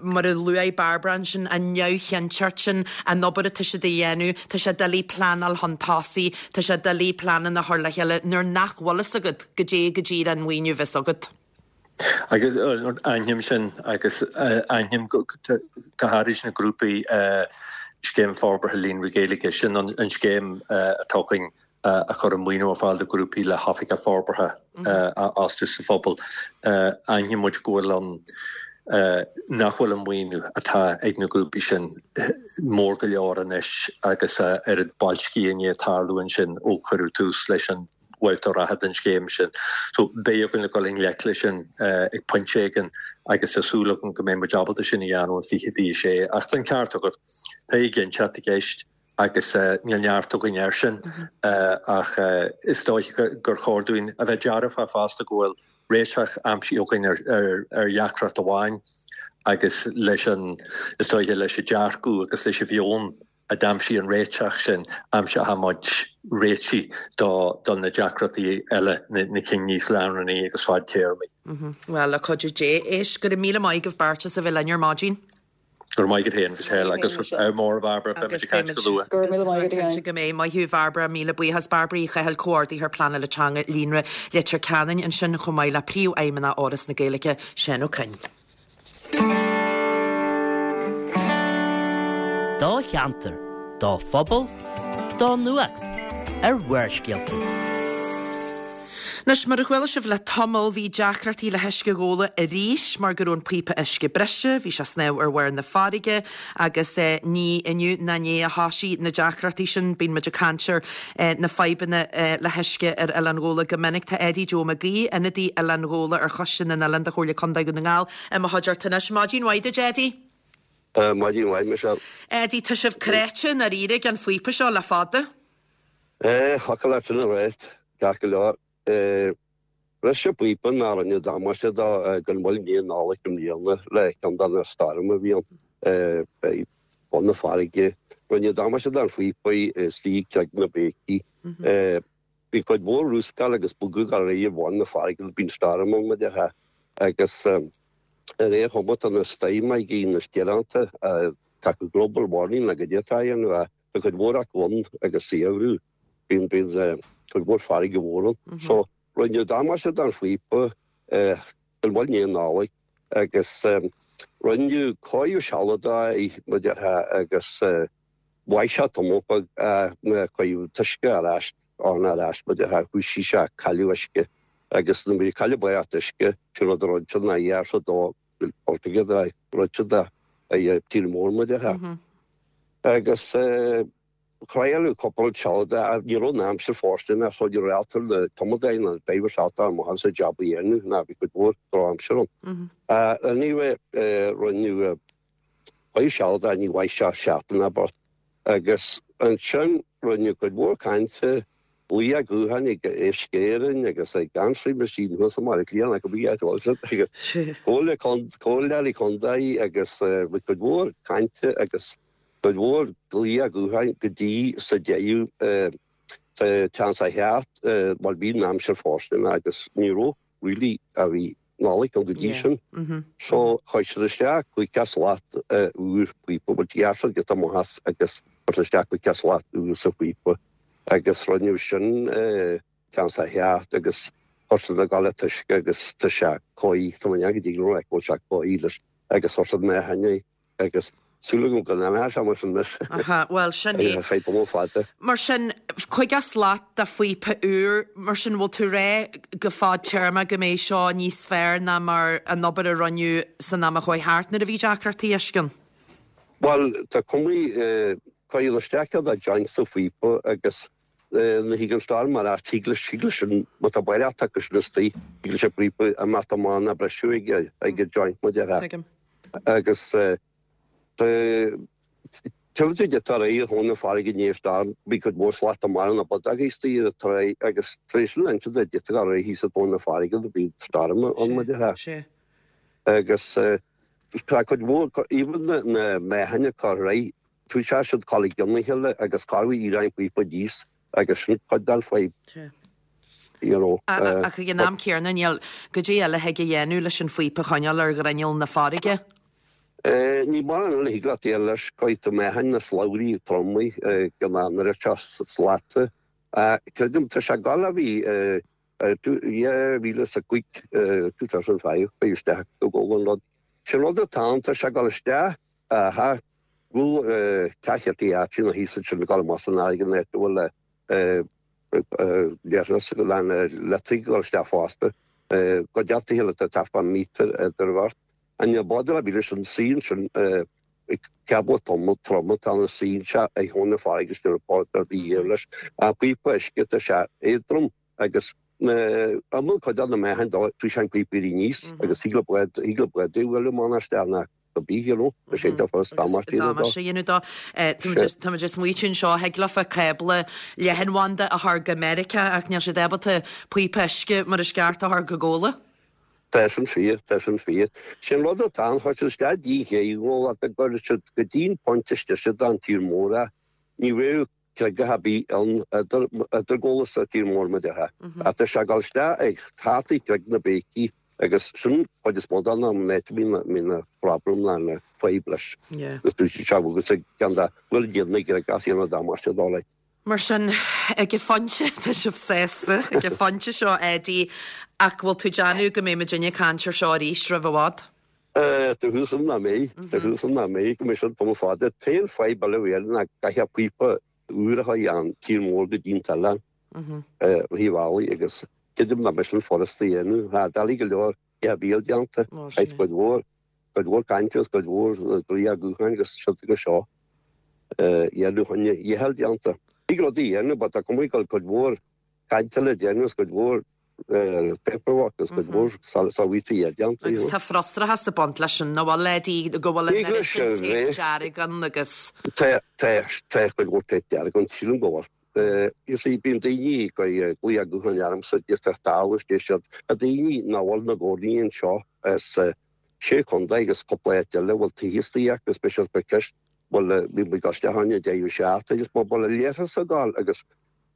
mar a luaigh Bairbre ansin, an neamhchinnteacht sin, an obair atá siad a dhéanamh, tá sé doiligh pleanáil chun tosaigh, tá sé doiligh pleananna a chur le chéile nuair nach bhfuil fhios agat goidé go díreach an maoiniú a bheas agat. Agus aithním sin agus aithním go háirid na grúpaí Scéim Forbartha Líonraí Gaeilge, sin an scéim atá againn a chuireann maoiniú ar fáil do ghrúpaí le hoifigeach forbartha a fhostú sa phobal. Aithníonn muid go bhfuil an, nach bhfuil an maoiniú atá ag na grúpaí sin mór go leor anois agus a oiread boilscithe i ndiaidh tarlú ansin ó cuireadh tús leis an bhabhta reatha den scéim sin. So beidh againn le dul i ngleic leis sin ag pointe éigin agus tá súil agam go mbeidh muid ábalta sin a dhéanamh in 2026. Ach tá an ceart agat, tá éiginnteacht i gceist agus níl neart againn air sin ach is dóiche gur chóir dúinn a bheith dearfach fosta go bhfuil réiteach aimsithe againn ar dheacracht amháin agus leis an, is dóiche, leis an dearcadh agus leis an mheon a d'aimsigh an réiteach sin, aimseoidh muid réitigh do na deacrachtaí eile, na cinn níos leanúnaí agus fadtéarmaí. Bhuel, le cuidiú Dé, éist, go raibh míle maith agaibh beirt as a bheith linn ar maidin. Go raibh maith agat féin, Michelle, agus ádh mór, a Bhairbre, beidh muid ag caint go luath. Go raibh míle maith agat féin. Go mbeidh. Maith thú, a Bhairbre, míle buíochas. Bairbre Uí Chathail, Comhordaitheoir Pleanála Teanga, Líonra Leitir Ceanainn ansin, chomh maith le Príomhfheidhmeannach Fhoras na Gaeilge, Seán Ó Coinn. Do cheantar, do phobal, do nuacht ar Bharrscéalta. Anois, mar a chuala sibh le tamall, bhí deacrachtaí le huisce Ghabhla arís mar go raibh an píopa uisce briste, bhí sé ag snámh ar bharr na farraige agus ní inniu ná inné a thosaigh na deacrachtaí sin. Bíonn muid ag caint ar na fadhbanna le huisce ar Oileán Ghabhla go minic. Tá Eddie Joe Mac Aoidh, ionadaí Oileán Ghabhla ar Choiste na nOileán de Chomhairle Contae Dhún na nGall, i mo chuideachta anois. Maidin mhaith duit, Eddie. Maidin mhaith, Michelle. Eddie, tá sibh cráite i ndáiríre ag an phíopa seo le fada. Thiocfadh leat sin a ráit, ceart go leor. Bhris an píopa nó rinneadh damáiste dó go mall i ndiaidh Nollag i mbliana le ceann de na stoirm a bhí ann ag bun na farraige. Rinneadh damáiste don phíopa istigh ag na béicí. Bhí cuid mhór rúscáil agus bogadh ar aghaidh ar bhun na farraige nuair a bíonn stoirm ann, mar a déarfá. Agus ar aon chuma tá na stoirmeacha na stioránta, tá global warming le goidé atá a dhéanamh. Tá cuid mhór acu ann agus saothrú. Bíonn bíonn cuid mhór farraige mhór ann. So rinneadh damáiste don phíopa go mall i ndiaidh Nollag agus rinneadh cóiriú sealadach air mar a déarfá agus mhair sé tamall beag nuair a cuireadh an t-uisce ar ais ann ar ais mar a déarfá thoisigh sé ag cailleadh uisce agus nuair a bhí cailleadh barraíocht uisce sin rud a rinne siad ná ghearr siad dó altogether rinne siad é tír mór mar a déarfá. Agus thriaileadh cúpla rud sealadach ach ní raibh an aimsir fóirsteanach so ní raibh ábalta na tumadóirí ná na drivers ábalta amach as an jab a dhéanamh ná bhí cuid mhór drochaimsir ann. Anyway rinneadh cóiriú sealadach ní mhair sé seachtain ná beart agus ansin rinneadh cuid mhór cainte Glaoch gutháin ag Uisce Éireann agus ag answering machine thuas i mBaile Átha Cliath nach bhí áit bhfuil siad agus Comhairle Comhairleoirí Contae agus bhí cuid mhór cainte agus cuid mhór glaoch gutháin go dtí sa deireadh sa tseans a cheart mar bhí an aimsir fóirsteanach agus ní raibh really a bhí. Nollaig ann go dtí sin. So chuir siad isteach 50 slat úr píopa, bhuel ghearr siad giota amach as agus chuir siad isteach 50 slat úr sa phíopa agus rinneadh sin ceann sa cheart agus chuir siad ag dul an t-uisce agus tá sé cóir, tá mé go dtí go raibh go bhfuil sé cóir leis agus chuir siad meáchain é. Agus súil agam go n-imreoidh sé mar sin anois. Aha, bhuel, sin é. Ar feadh tamall fada. Mar sin, 50 slat de phíopa úr, mar sin, bhfuil tú ag rá go fadtéarma go mbeidh seo níos fearr ná mar an obair a rinneadh san am a chuaigh thart nuair a bhí deacrachtaí uisce ann? Bhuel, tá cuma, cuireadh isteach ceann de joint sa phíopa agus nuair a thig an storm ar ais, thig leis, thig leis sin, má tá baileacht acu sin istigh, thig leis an bpíopa imeacht amach ná briseadh ag, ag an joint, mar a déarfá. Tuigim. Agus tuigtear di tar éis thóin na farraige ní storm bhí cuid mhór slata mara na bodach istigh ar an tráigh agus tar éis an inse de d'fhéadfadh a rith thíos i dtóin na farraige do bhí storm ann mar a déarfá. Agus tá cuid mhór even na meáchain a cur ar aghaidh tá siad ag dul i gcionn a chéile agus corruair éiríonn an píopa aníos agus sin cuid den fadhb. You know. Ach ag an am céanna, níl goidé eile thig a dhéanamh leis an phíopa a choinneáil ar ghrinneall na farraige. Níl mórán eile a thig leat a dhéanamh leis, caithfidh tú meáchain na slabhraí troma go n-oiread seo slata. Creidim, tá sé ag dul a bhí 2005, 2005, chuir isteach go bhfuil an rud. Sin rud atá ann, tá sé ag dul isteach, aha, go bhfuil ceathairt áit ina thíos ansin ag dul amach san fharraige an áit a bhfuil leithreas go lean leictric ag dul isteach fosta. Go deartha le taifead mítear idir bheart. An bád a bhí leis an suí ansin cábla trom trom atá ina suí anseo ag thóin na farraige is ní raibh bád ar bith thiar leis. Píopa uisce tá sé éadrom agus na iomlán cuid de na meáchain dó tá sé an píopa éirí aníos agus thig le bád thig le bád é a bhualadh amach isteach ina go bí you know tá sé iontach furast damáiste a dhéanamh dó. Damáiste a dhéanamh dó. Tá muid ag smaoitiú anseo, thig leofa cábla leathanbhanda a chur go Meiriceá ach níl siad ábalta píopa uisce mar is ceart a chur go Gabhla. Tá sin fíor, tá sin fíor. Sin rud atá ann, chuir siad isteach díon ché i nGabhla go gcuirfeadh siad go dtí'n pointe istigh siad an tír mór é. Ní bheadh creagach ar bith ann idir Gabhla is an tír mór mar a déarfá. Ach tá sé ag dul isteach ag thart ag Creag na Béicí agus sin cuid is mó den am an áit a mbíonn na problem ná na fadhb leis. Agus dúirt sé agus ag ceann de bhfuil iad na gcreagach is dhéanamh damáiste dó like. Mar sin, ag an phointe, tá sibh sásta ag an phointe seo, Eddie, ach bhfuil tú ag déanamh go mbeidh muidinne ag caint ar seo arís roimh i bhfad? Tá súil agam nach mbeidh, tá súil agam nach mbeidh, go mbeidh siad tamall fada. An t-aon fadhb eile a bhí air ná go gcaithfeá píopa úr a chur ón tír mór go dtí an t-oileán ar thaobh ealaí agus creidim nach mbeidh sin furasta a dhéanamh. Tá doiligh go leor a bhíol déanta, caithfidh cuid mhór, cuid mhór cainte agus cuid mhór glaoch gutháin agus siod agus seo a dhéanamh chun a dhícheall déanta. Thig rudaí a dhéanamh but tá cuma go bhfuil cuid mhór cainte le déanamh agus cuid mhór paperwork agus cuid mhór sóirt a déanta. Agus tá frustrachas ag baint leis sin, nach bhfuil, Eddie, go bhfuil an oiread sin téip dearg ann agus. Tá, tá, tá cuid mhór téip dearg ann, sílim go bhfuil. You see, bíonn daoine ag glaoch gutháin ormsa, isteach dall is deir siad, tá daoine nach bhfuil ina gcónaí anseo as sé chontae agus cúpla áit eile a bhfuil tithe istigh acu, speisialta ceist, bhfuil, bhí muid ag dul isteach ann an deireadh seachtaine agus bhfuil a leithreas ag dul agus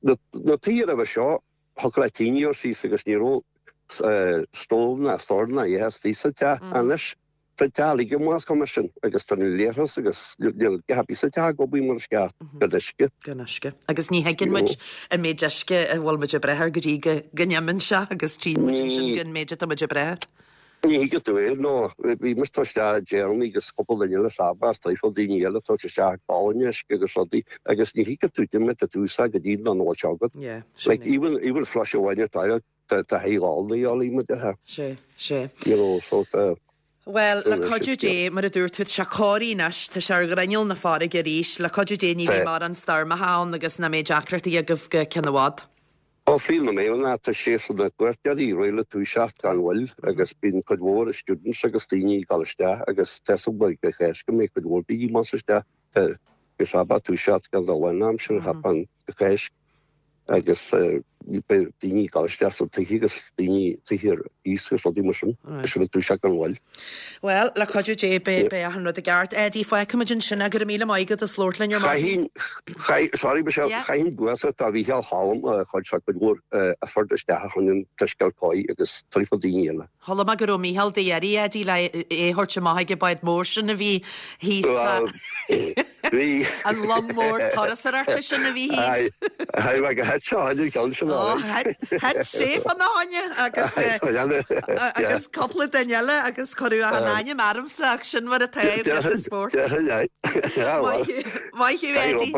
na tithe roimhe seo, Thiocfadh leat tine a chur síos agus ní raibh stove ná stor ná a dhath istigh sa teach. Anois tá an teach uilig amuigh as commission agus tá na leithreas agus níl a dhath ar bith sa teach ag obair mar is ceart gan uisce. Gan uisce. Agus ní thuigeann muid an méid uisce a bhfuil muid ag breith air go dtí go n-imíonn sé agus tchíonn muid ansin an méid atá muid ag breith air. Ní thuigeann tú é, nó bhí mise ag tabhairt isteach deireanaí agus cúpla duine eile sábh as traidhfil daoine eile ag tabhairt isteach gallúin uisce agus rudaí agus ní thuigeann tú cad é méid atá tú úsáid go dtí nach bhfuil sé agat. Yeah, sin Like é. even, even flush amháin ar toilet tá tá high ghallúin a dhealaigh muid ar Sé, sé. You know, so tá Bhuel, le Sin cuidiú é Dé, mar a dúirt tú, tá sé cóirithe anois, tá sé ar ghrinneall na farraige arís, le cuidiú Dé ní bheidh Tá. mórán stoirmeacha ann agus nach mbeidh deacrachtaí agaibh go ceann i bhfad. Ó fríd na méireanna tá séasúr na gcuairteoirí réidh le toiseacht gan mhoill agus bíonn cuid mhór students agus daoine ag dul isteach agus tá 'fhios agam go Cháisc go mbeidh cuid mhór daoine amach is isteach. Tá sé ag toiseacht gan dul in aimsir cheapfainn go Cháisc. Agus beidh daoine ag dul isteach sna tithe agus daoine tithe ar cíos agus rudaí mar sin. Tá siad ag dúiseacht gan mhoill. Bhuel, le cuidiú Dé beidh achan rud i gceart. Eddie, fágfaimid ansin é. Go raibh míle maith agat as labhairt linn ar maidin. Chaithfinn, sorry Michelle, chaithfinn buíochas do Mhícheál Choilm a chuir sé cuid mhór effort isteach a choinne an t-uisce a chur agus trifle daoine eile. Chuala mé go raibh Mícheál d'iarraidh Eddie le é a thabhairt amach ag an bád mór sin a bhí thíos fá an long mór turasóireachta sin a bhí thíos. Aye, bhuel go thit sé fá choinne an ceann sin Ó, alright. thit sé fána choinne agus agus cúpla duine eile agus cuireadh achan ainm ormsa ach sin mar atá i bpíosa spóirt. Déarfainn aye. Maith thú, maith thú Eddie.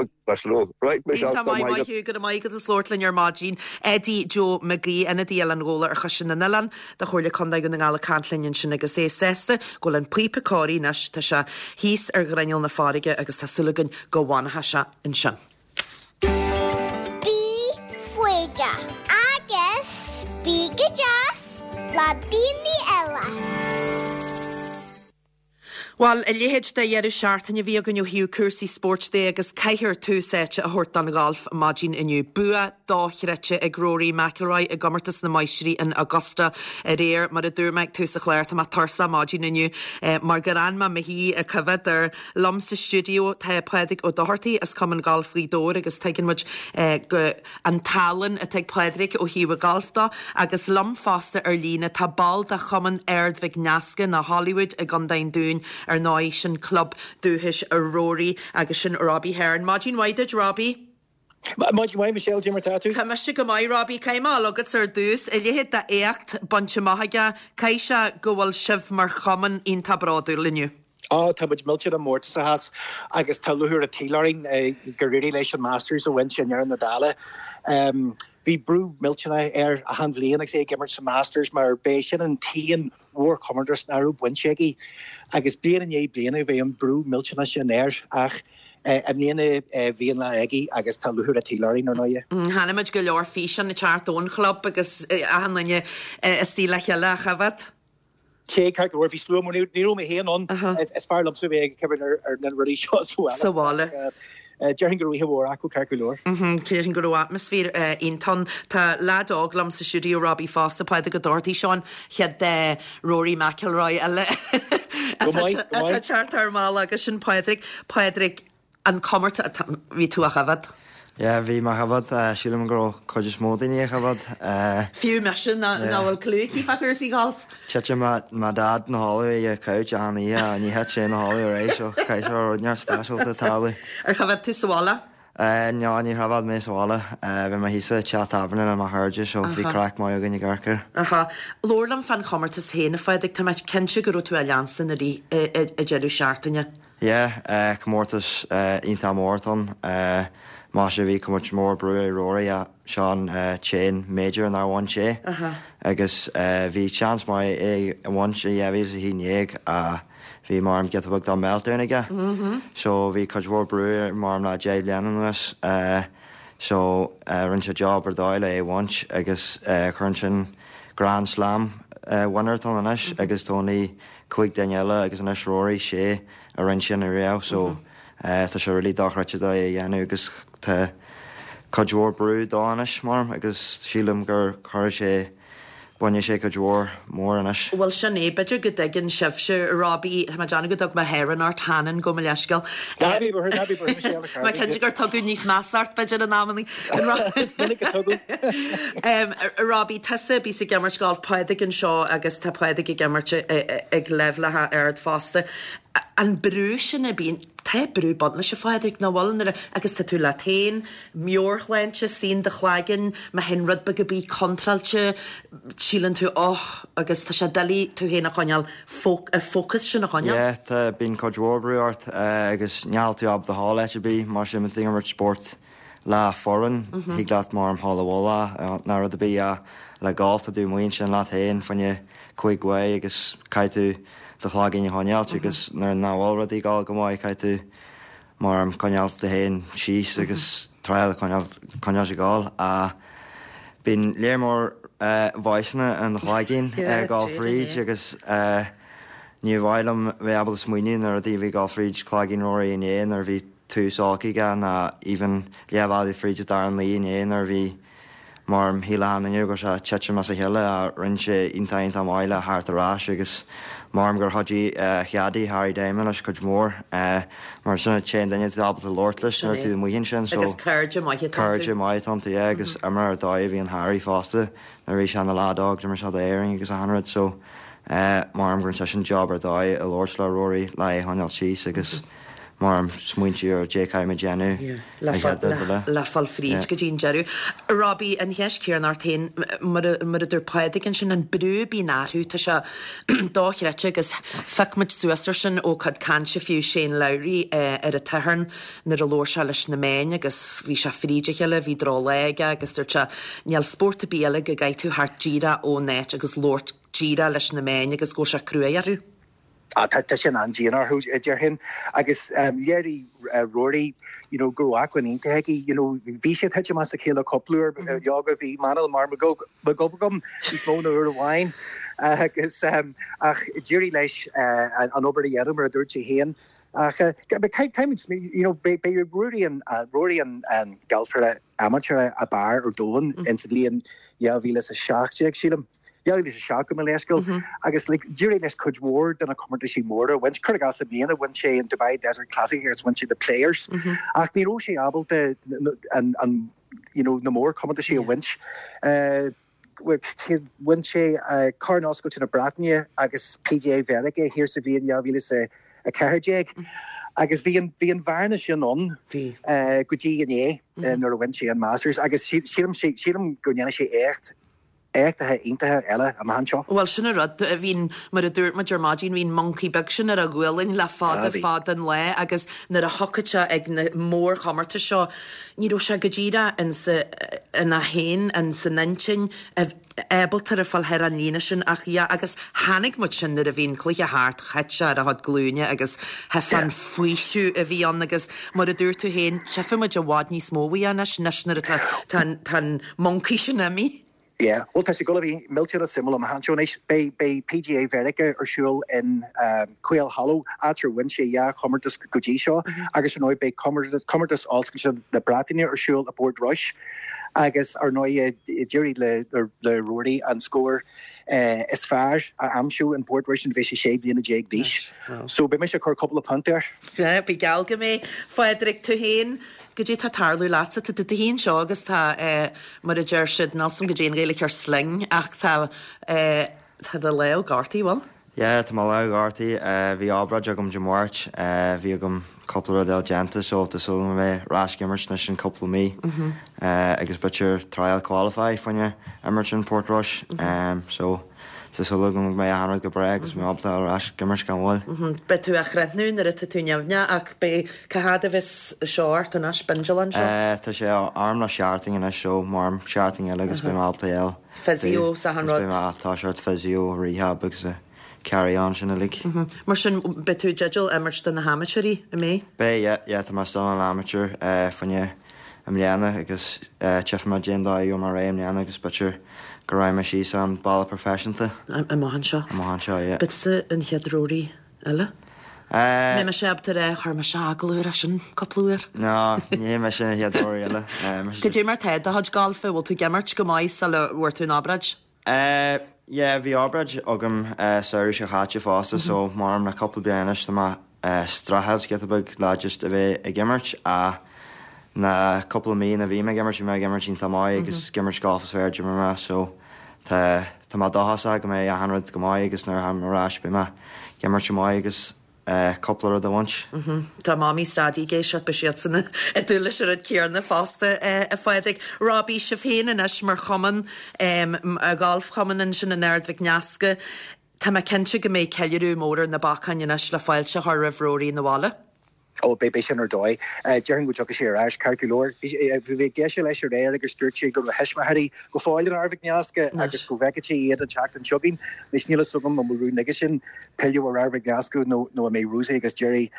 Right, Michelle, Iontach maith, maith thú, go raibh maith agat as labhairt linn ar maidin. Eddie Joe McGee, ionadaí Oileán Ghabhla ar Choiste na nOileán do Chomhairle Contae Dhún na nGall ag caint linn ansin agus é sásta go bhfuil an píopa cóirithe anois, tá sé thíos ar ghrinneall na farraige agus tá súil againn go bhfanfaidh sé ansin. Bí foighdeach agus bí go deas le daoine eile. Bhuel, a leithéid de dheireadh seachtaine a bhí againn ó thaobh cúrsaí spóirt de agus caithfear tús áite a thabhairt don ghalf maidin inniu. Bua dochreidte ag Rory McIlroy i gcomórtas na Máistrí in Augusta aréir. Mar a dúirt mé ag tús an chláir, tá mé tuirseach maidin inniu mar gur fhan mé i mo shuí ag coimhéad air. Liom sa stiúideo tá Pádraig Ó Dochartaigh as Cumann Gailf Ghaoth Dobhair agus tuigeann muid go. an tallann atá ag Pádraig ó thaobh an ghailf de, agus liom fosta ar líne tá ball de Chumann Ard Mhic Nasca nó Hollywood i gContae an Dúin, ar ndóigh, sin club dúchais Rory agus sin Robbie Hearn. Maidin mhaith duit, Robbie. Maidin mhaith, Michelle, cad é mar tá tú? Tá mise go maith, Robbie. Caithfidh mé a fháil agatsa ar dtús. A leithéid d'éacht bainte amach aige, caithfidh sé go bhfuil sibh mar chumann iontach bródúil inniu. Á, tá muid millteanach mórtasach as agus tá lúcháir an tsaoil orainn gur éirigh leis an Masters a bhaint i ndeireadh na dála. Bhí brú millteanach air achan bhliain agus é ag imirt sa Masters mar b'é sin an t-aon mhórchomórtas nach raibh bainte aige agus bliain i ndiaidh bliana bhí an brú millteanach sin air ach i mbliana bhí an lá aige agus tá lúcháir an tsaoil orainn, ar ndóighe. Chonaic muid go leor físeán ag teacht ón chlub agus achan duine istigh le chéile á choimhéad. Sea, ceart go leor, bhí slua mór, ní raibh mé féin ann, is fearr liomsa a bheith ag coimhéad ar na rudaí seo sa bhaile. Sa bhaile. Déarfainn go raibh oíche mhór acu, ceart go leor. Déarfainn go raibh atmaisféar iontach ann. Tá leaid óg liom sa stiúideo, Robbie fosta, Pádraig Ó Dochartaigh, seo an chéad Rory McIlroy eile atá ag teacht ar an mbealach agus sin Pádraig. Pádraig, An comórtas, bhí tú á choimhéad? Yeah, bhí mé á choimhéad. Sílim go raibh cuid is mó daoine á choimhéad. Fiú mise nach bhfuil clue aici fá chúrsaí golf. Titeann mo dad 'na chodladh ag an couch achan oíche, ní thit sé 'na chodladh aréir so caithfidh sé rud inteacht speisialta tarlú. Ar choimhéad tú sa bhaile? No, ní choimhéad mé sa bhaile. Bhí mé thíos sa teach tábhairne le mo chairde so bhí craic maith againn ag amharc air. Aha. Labhair liom fán chomórtas féin, a Phádraig. Tá mé cinnte go raibh tú á leanstan i rith an deireadh seachtaine. Yeah, comórtas iontach mór atá ann. Maise bhí cuid mhór brú ar Rory ach seo an t-aon major nár bhain sé agus bhí seans maith é a bhaint i 2011 ach bhí mar giota beag de meltdown aige. So bhí cuid mhór brú air mar le 10 bliana anuas so rinne sé job ar dóigh le é a bhaint agus cuireann sin Grand Slam winner atá ann anois agus tá only 5 duine eile agus anois Rory, 6 a rinne sin ariamh so tá sé really dochreidte dó é a dhéanamh agus tá cuid mhór brú dó anois mar agus sílim gur chuir sé bainfidh sé cuid mhór mór anois. Bhuel sin é, b'fhéidir go dtuigeann sibhse, Robbie, tá mé ag déanamh go dtug mé Heron ort, Hannon, gabh mo leithscéal. Ná bí buartha, ná bí buartha, Michelle, a Mé cinnte gur tugadh níos measa ort b'fhéidir in amannaí. Is minic a tugadh. Robbie, tusa a bíos ag imirt galf, Pádraig anseo agus tá Pádraig ag imirt ag leibhéalacha ard fosta. An brú sin a bíonn, tá brú ag baint leis a Phádraig, nach bhfuil, nuair a, agus tá tú leat féin, meabhairshláinte, istigh in do chloigeann, má théann rud beag ar bith contráilte, síleann tú oh agus tá sé doiligh tú féin a choinneáil, focus sin a choinneáil. Yeah, tá, bíonn cuid mhór brú ort agus níl tú ábalta a ghabháil áit ar bith mar sin, má tá tú ag imirt spórt le foireann, thig leat mar a ghabháil abhaile nó rud ar bith ach le golf tá tú amuigh ansin leat féin fá choinne 5 uair agus caithfidh tú do chloigeann a choinneáilt agus nuair nach bhfuil rudaí ag dul go maith caithfidh tú mar coinneáil tú féin síos agus triail coinneáil coinneáil ag gabháil ach bíonn léar mór voiceanna in do chloigeann ag dul fríd agus ní mhaith liom bheith ábalta smaoineamh na rudaí a bhí ag dul fríd cloigeann Rory inné nuair a bhí. tús olc aige ná even leath bhealaigh fríd an dara luí inné nuair a bhí mar shíl achan duine go raibh sé ag titim as a chéile ach rinne sé iontach iontach maith le theacht ar ais agus maram gur chuidigh a cheaidí Harry Diamond leis cuid mhór mar sin an t-aon duine atá ábalta labhairt leis nuair atá tú amuigh ansin so Agus cairde maithe atá iontu. Cairde maithe atá iontu yeah agus imreoir ar dóigh a bhí in Harry fosta nuair a bhí sé ina leaid óg d'imir sé d'Éirinn agus achan rud so maram go rinne seisean job ar dóigh ag labhairt le Rory le é a choinneáil síos agus Maram smaointiú ar caidé caithfidh mé déanamh le le fáil fríd go dtí an deireadh. Robbie, an cheist chéanna ort féin, mar a dúirt Pádraig ansin, an brú a bíonn orthu, tá sé dochreidte agus phioc muid suas ar sin ó chuid cainte fiú Shane Lowry ar an tSatharn nuair a labhair sé leis na meáin agus bhí sé fríd a chéile, bhí drochlá aige agus dúirt sé níl spórt ar bith eile go gcaithfidh tú theacht díreach ón áit agus labhairt díreach leis na meáin agus go bhfuil sé cruaidh orthu. Tá sin an-dian orthu, déarfainn. Agus léirigh Rory you know go raibh acmhainn iontach aige. You know bhí sé ag titim as a chéile cúpla uair. Leoga bhí m'anáil mar mo ghob agam níos mó ná uair amháin. Agus ach d'éirigh leis an obair a dhéanamh mar a dúirt sé féin. Ach caithfimid you know beidh Rory an Rory an galfaire amaitéara ab fhearr ar domhan insa bhliain 2017 sílim. 2007 gabh mo leithscéal agus like d'éirigh leis cuid mhór de na comórtaisí móra a bhaint. Cuir i gcás i mbliana bhain sé an Dubai Desert Classic agus bhain sé The Players ach ní raibh sé ábalta an an you know na mórchomórtaisí a bhaint. Bhain sé Corn Oscailte na Breataine agus PGA Mheiriceá thiar sa bhliain 2014 agus bhí an bhí an bhearna sin ann go dtí inné nuair a bhain sé an Masters agus sílim sílim go ndéanfaidh sé éacht éachtaithe iontacha eile amach anseo. Bhuel, sin an rud, bhí an, mar a dúirt muid ar maidin, bhí an moncaí beag sin ar a ghualainn le fada fada an lá agus nuair a thiocfadh sé ag na mórchomórtais seo, ní raibh sé go díreach insa, ina féin, ins an intinn, ábalta a fáil thar an líne sin ach yeah agus chonaic muid sin nuair a bhí an cluiche thart, thit sé ar a chuid glúine agus thuigfeá an faoiseamh a bhí ann agus mar a dúirt tú féin, tchífidh muid i bhfad níos mó uaidh anois, anois nuair atá, tá an, tá an moncaí sin imithe. Yeah, bhuel tá sé ag dul a bheith millteanach suimiúil amach anseo anois. Beidh, beidh PGA Mheiriceá ar siúl in Quail Hollow, áit ar bhain sé dhá chomórtas go dtí seo, agus ar ndóigh beidh comórtas, comórtas Oscailte na Breataine ar siúl i bPortrush. Agus ar ndóigh d'éirigh le, le Rory an scór is fearr a aimsiú in Portrush nuair a bhí sé 16 bliana d'aois. So beidh mise ag cur cúpla punt air. Yeah, bí geall go mbeidh. Phádraig, tú féin, Goidé tá ag tarlú leatsa? Tá tú i do shuí anseo agus tá, eh, mar a deir siad, níl 's a'm goidé an Ghaeilge ar sling ach tá, eh, tá do lámh gortaithe, bhfuil? Yeah, tá mo lámh gortaithe. Eh, bhí obráid agam Dé Máirt. Eh, bhí agam cúpla rud eile déanta so tá súil agam a bheith ar ais ag imirt anois in cúpla mí. Eh, agus b'fhéidir trial qualify fá choinne imirt in Portrush. Eh, so. Tá súil agam go mbeidh achan rud go breá agus mé ábalta dul ar ais ag imirt gan mhoill. Beidh tú á chríochnú nuair atá tú neamhneach ach beidh, cá fhad a bheas seo ort anois, bindealán seo? Tá sé orm le seachtain anois so maram seachtain eile agus beidh mé ábalta a fháil. Physio 's achan rud. Beidh mé ag toiseacht physio, rehab agus carry on sin uilig. Mar sin beidh tú i dteideal imirt do na hamaitéirí, an mbeidh? Beidh, yeah, yeah, tá mé still an amateur fá choinne i mbliana agus tchífidh mé cén dóigh a gheobhaidh mé ar aghaidh i mbliana agus b'fhéidir go raghaidh mé síos an bealach proifisiúnta. Amach anseo. Amach anseo, yeah. Beidh tusa an chéad Rory eile? Mbeidh mise ábalta a rá, chuir mise agallamh air sin cúpla uair. No, ní mise an chéad Rory eile. Cad é mar tá do chuid gailf, bhfuil tú ag imirt go maith sula bhfuair tú an obráid? Eh, yeah, bhí obráid agam samhradh seo chaite fosta so maram le cúpla bliain anois tá mé ag streachailt giota beag le just a bheith ag imirt ach na cúpla mí na bhí mé ag imirt bhí mé ag imirt iontach maith agus ag imirt golf is fearr a d'imir mé so tá tá mé dóchasach go mbeidh achan rud go maith agus nuair a tháim ar ais beidh mé ag imirt go maith agus cúpla rud a bhaint. Tá Mamaí 's Daidí ag éisteacht, beidh siadsan ag dúil leis an rud céanna fosta, a Phádraig. Robbie, sibh féin anois mar chumann, galfchumann ansin in Ard Mhic Nasca, tá mé cinnte go mbeidh ceiliúradh mór ar na bacáin anois le fáilte a chur roimh Rory 'na bhaile. Ó, beidh, beidh sin ar dóigh. Déarfainn go dtiocfaidh sé ar ais ceart go leor. Bhí mé ag éisteacht leis aréir agus dúirt sé go raibh a thuismitheoirí go fóill in Ard Mhic Nasca agus go bhfeicfeadh sé iad an tseachtain seo chugainn. Anois níl a fhios agam an bhfuil rún aige sin pilleadh ar Ard Mhic Nasca nó nó an mbeidh Rosie agus Jerry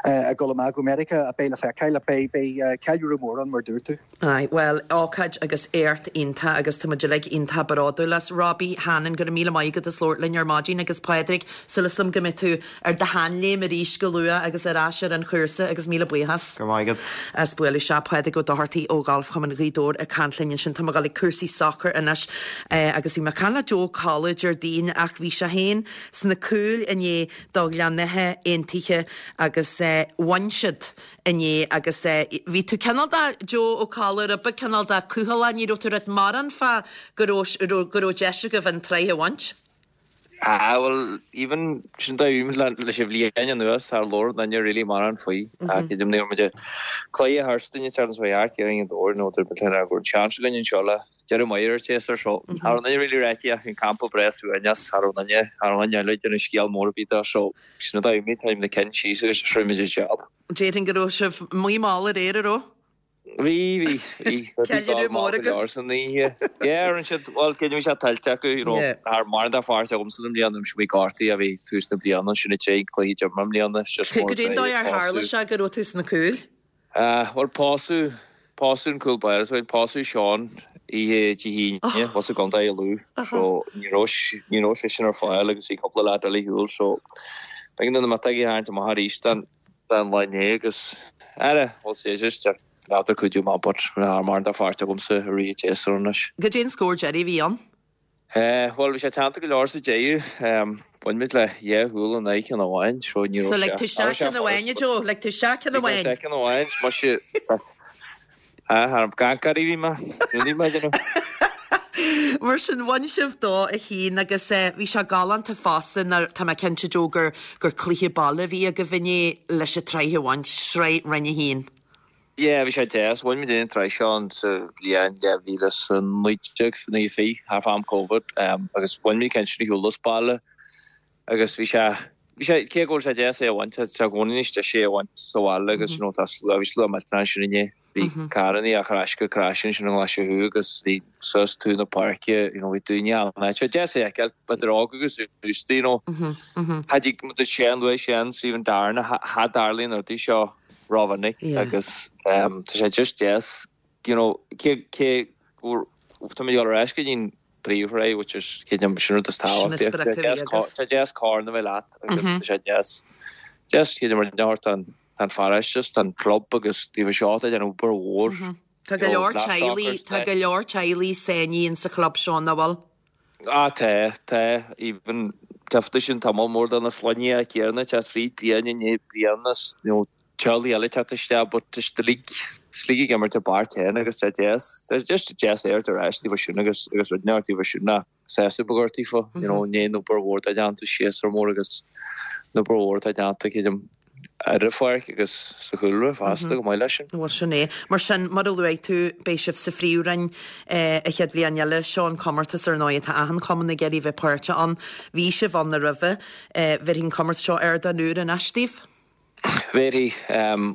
ag dul amach go Meiriceá ach beidh le feiceáil ach beidh beidh ceiliúradh mór ann mar dúirt tú. Aye, bhuel, ócáid agus éacht iontach agus tá muid uilig iontach bródúil as. Robbie Hannon, go raibh míle maith agat as labhairt linn ar maidin agus Pádraig, súil agam go mbeidh tú ar do sheanléim arís go luath agus ar ais ar an chúirt. chúrsa agus míle buíochas. Go raibh maith agat. As bualadh isteach Pádraig Ó Dochartaigh ó Ghalfchumann Ghaoth Dobhair ag caint linn ansin. Tá mé ag dul ag cúrsaí sacair anois agus bhí mé ag caint le Joe Ó Colla Déardaoin ach bhí sé féin sna cúil inné do Ghleann Átha Aontaithe agus bhain siad inné agus bhí tú cineál de, Joe Ó Colla, rud beag cineál de cúthaileach, ní raibh tú ag mórán fá go raibh go raibh deis agaibh an tsraith a bhaint. Ah bhuel even sin dá bhí leis an bhliain anuas char labhair duine really mórán faoi ach creidim ní raibh muid ag cluiche Thursday an tseachtain seo thart i nGaoth Dobhair nó dúirt muid linn go raibh an seans againn anseo le deireadh maith ar an tséasúr so cha raibh duine really ráite ach bhí an campa breá suaimhneach cha raibh duine cha raibh duine eile ag déanamh scéal mór ar bith de so sin an dóigh a bhí na cinn síos agus rinne muid an job. Déarfainn go raibh sibh amuigh mall aréir, an raibh? Bhí, bhí, bhí. Ceiliúradh mór agaibh. San oíche. Yeah, rinne siad, bhuel, cé bhí sé tuillte acu, you know, cha raibh mórán de pháirt agamsa i mbliana, bhí mé gortaithe, bhí tús na bliana, sin an tríú cluiche d'imir mé i mbliana, it's just more Cad é an dóigh ar tharla sé go raibh tú sna cúil? Ah, bhuel, pósadh, pósadh an cúl báire, so pósadh Seán oíche Dé hAoine, thuas i gContae Lú, so ní raibh, ní raibh seisean ar fáil agus bhí cúpla leaid eile ar shiúl, so b'éigean do na miotógaí a tharraingt amach arís don, don lá inné agus, ara, bhuel, sé just, n'fheadar cuidiú maith but cha raibh mórán de pháirt agamsa i rith an tséasúir anois. Cad é an scór deiridh a bhí ann? Bhuel, bhí sé teannta go leor sa deireadh. Bhain muid le dhá chúl in aghaidh ceann amháin, so ní raibh So lig tú isteach ceann amháin, a Joe, lig tú isteach ceann amháin. Lig ceann amháin, muise, thar gcancairí bhí mé, ní mé déanamh. Mar sin, bhain sibh 2-1 agus bhí sé galánta fosta, nó tá mé cinnte, Joe, gur gur cluiche baile a bhí agaibh inné leis an tsraith a bhaint, sraith Roinn 1. Yeah, bhí sé deas. Bhain muid an tsraith seo an sa bhliain 2019, nó 20, thart fá am Covid, agus bhain muid ceann sin ar shiúl as baile agus bhí sé, bhí sé, cé go bhfuil sé deas é a bhaint, tá sé i gcónaí níos deise é a bhaint sa bhaile agus you know tá slua, bhí slua millteanach ansin inné. Bhí carrannaí á chur ais go crash ansin i nGlaise Thuaidh agus bhí suas taobh na páirce, you know, bhí daoine ann. Tá sé deas a fheiceáil, idir óg agus aosta, you know. Cha dtig muid Séan, luaigh Séan, Stephen Darren, cha dtarlaíonn rudaí seo rómhinic agus tá sé just deas, you know, cé, cé go, tá muid ag dul ar ais go dtí an príomhshraith, which is, creidim, sin rud is tábhachtaí. Tá sé deas corn a bheith leat agus tá sé deas, deas, creidim, rud a thabhairt don, Tá an pharóiste, tá an club agus taobh seo atá ag déanamh obair mhór. Tá go leor teaghlaigh, tá go leor teaghlaigh sáinnithe in sa chlub seo, nach bhfuil? Ah tá, tá, even tchífeá sin tamall mór de na sloinne céanna ag teacht fríd bliain i ndiaidh bliana is you know teaghlaigh eile ag teacht isteach but tá siad uilig, tá siad uilig ag imirt i bpáirc féin agus tá deas, tá just deas é ar ais taobh sin agus agus rud inteacht taobh sin ná. sásamh beag ort daofa, you know, i ndiaidh an obair mhór atá déanta, séasúr mór agus an obair mhór atá déanta, creidim, ar an pháirc agus sa chúlra fosta, chomh maith leis sin. Bhuel, sin é. Mar sin, mar a luaigh tú, beidh sibh sa Phríomhroinn an chéad bhliain eile. Seo an comórtas, ar ndóigh, atá achan chumann ag iarraidh bheith páirteach ann. Bhí sibh ann roimhe. Bhéarfaidh an comórtas seo ardán úr anois daoibh. Bhéarfaidh.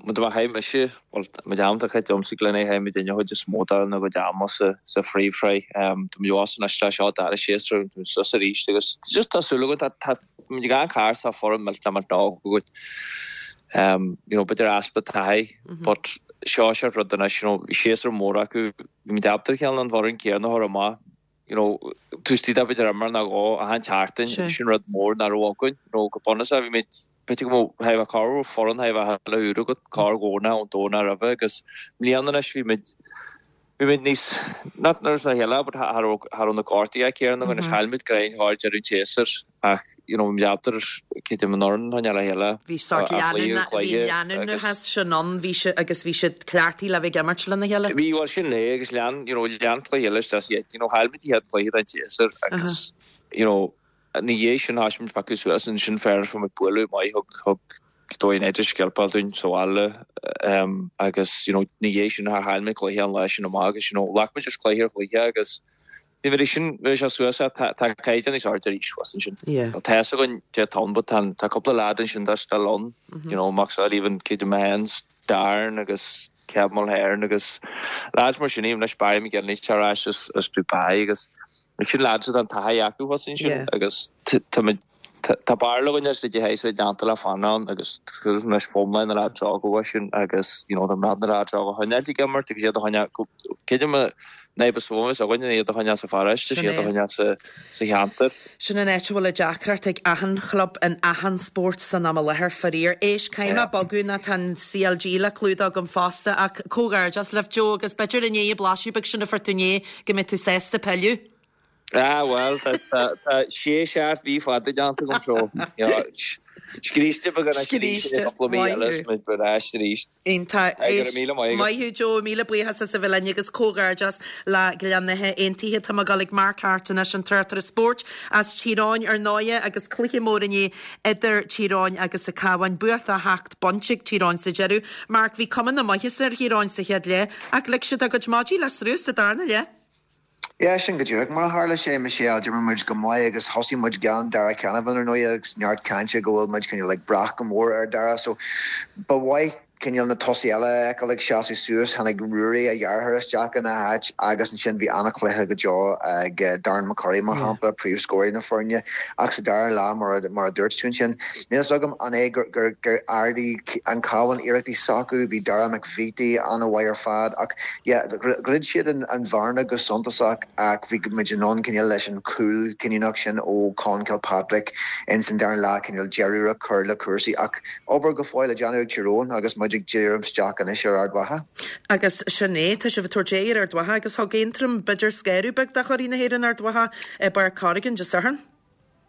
Má chaith mise, bhuel, an méid am atá caite agamsa Glen chaith muidinne an chuid is mó dár gcuid ama sa sa phríomhshraith. Tá muid abhus anois le seo dara séasúr, tá muid suas arís agus just tá súil againn, tá tá muid ag amharc thart tá foireann millteanach millteanach óg againn. You know, b'fhéidir easpa taithí but seo seort rud anois, you know, bhí séasúr mór acu, bhí muid ábalta cineál an bhfoireann céanna a chur amach. you know, taobh istigh de b'fhéidir imirt nó dhó achan tseachtain, sin rud mór nach raibh againn, you know, go bunúsach bhí muid, b'fhéidir go mbeadh, thigh a bheith corr foireann thigh a bheith chuile uair agat, corr Dhomhnach ón Domhnach roimhe agus i mbliana anois bhí muid, bhí muid níos, not not a chéile but cha raibh, cha raibh na gortuithe céanna againn, chaill muid greim thar deireadh an tséasúir. Ach, you know, mealltar creidim an fhoireann a choinneáil le chéile. Bhí sórt leanúna, bhí leanúnachas sin ann, bhí siad, agus bhí siad cleachtaithe le bheith ag imirt lena chéile. Bhí, bhuel sin é, agus lean, you know, lean cluiche eile isteach sa you know, chaill muid an chéad cluiche den tséasúr agus, you know, ina dhiaidh sin thosaigh muid piocadh suas ansin féar fuair muid bualadh maith thug, thug Doire United sceilpeáil dúinn sa bhaile agus, you know, ina dhiaidh sin chaill muid cluiche an lá sin amach agus, you know, ghlac muid just cluiche ar chluiche agus, Ní bheidh sin, bheidh sé suas, tá caighdeán níos airde arís thuas ansin. Tá fhios againn cé atá ann but tá tá cúpla leaid ansin atá still ann, you know, Max Sullivan, Keaton Mahons, Darren agus Kev Mulhern agus leaids mar sin, even anois Barry McGinley ar ais as as Dubai agus sin leaids atá an taithí acu thuas ansin agus tá muid. Tá b'fhearr againn as idir thaobh déanta le fanacht ann agus anois fomlán na lads óga uaidh sin agus you know na na lads óga choinneáil ag imirt agus iad a choinneáil creidim an fhadhb is mó a bheas againn iad a choinneáil sa pharóiste is iad a choinneáil sa sa cheantar. Sin an áit a bhfuil an deacracht ag achan chlub in achan spórt san am i láthair, faraor. Éist, caithfidh mé bogadh nó tá an CLG le clúdach agam fosta ach comhghairdeas libh Joe agus b'fhéidir i ndiaidh an blaiseadh beag sin a fuair tú inné go mbeidh tú sásta pilleadh. Ah bhuel, tá sé seacht mhí fada déanta agam so, you know, scríste beag anois arís i gcúpla mí eile is muid ar ais arís. Iontach. Go raibh míle maith agat. Maith thú Joe, míle buíochas as a bheith linn agus comhghairdeas le Gleann Átha Aontaithe. Tá mé ag dul ag Mark Harte anois, an tráchtaire spóirt as Tír Eoghain ar ndóighe agus cluiche mór inné idir Tír Eoghain agus an Cabhán. Bua 8 bpointe ag Tír Eoghain sa deireadh. Mark, bhí cuma na maitheasa ar Thír Eoghain sa chéad leath ach lig siad a gcuid maidí le sruth sa darna leath. Yeah, sin go díreach mar a tharla sé, Michelle. D'imir muid go maith agus thosaigh muid gan Darragh Canavan ar ndóigh agus neart cainte go bhfuil muid cineál ag brath go mór ar Darragh so ba mhaith cineál na tosaithe eile a fheiceáil ag seasamh suas. Tháinig Ruairí, a dheartháir, isteach ina háit agus ansin bhí an-chluiche go deo ag Darren McCurry mar shampla, príomhscóraí na foirne. Ach sa dara leath, mar a dúirt tú ansin, níl a fhios agam an é gur ardaigh an Cabhán iarrachtaí s'acu, bhí Darragh McVeety an-mhaith ar fad ach yeah dhruid siad an bhearna go suntasach ach bhí muid in ann cineál leis an chúl cinniúnach sin ó Conn Kilpatrick ins an dara leath cineál deireadh a chur le cúrsaí ach obair go fóill le déanamh ag Tír Eoghain agus muid ag díriú isteach anois ar Ard Mhacha. Agus sin é, tá sibh ag tabhairt aghaidh ar Ard Mhacha agus thug Aontroim b'fhéidir scanradh beag do churaidh na hÉireann Ard Mhacha i bPáirc Corrigan Dé Sathairn.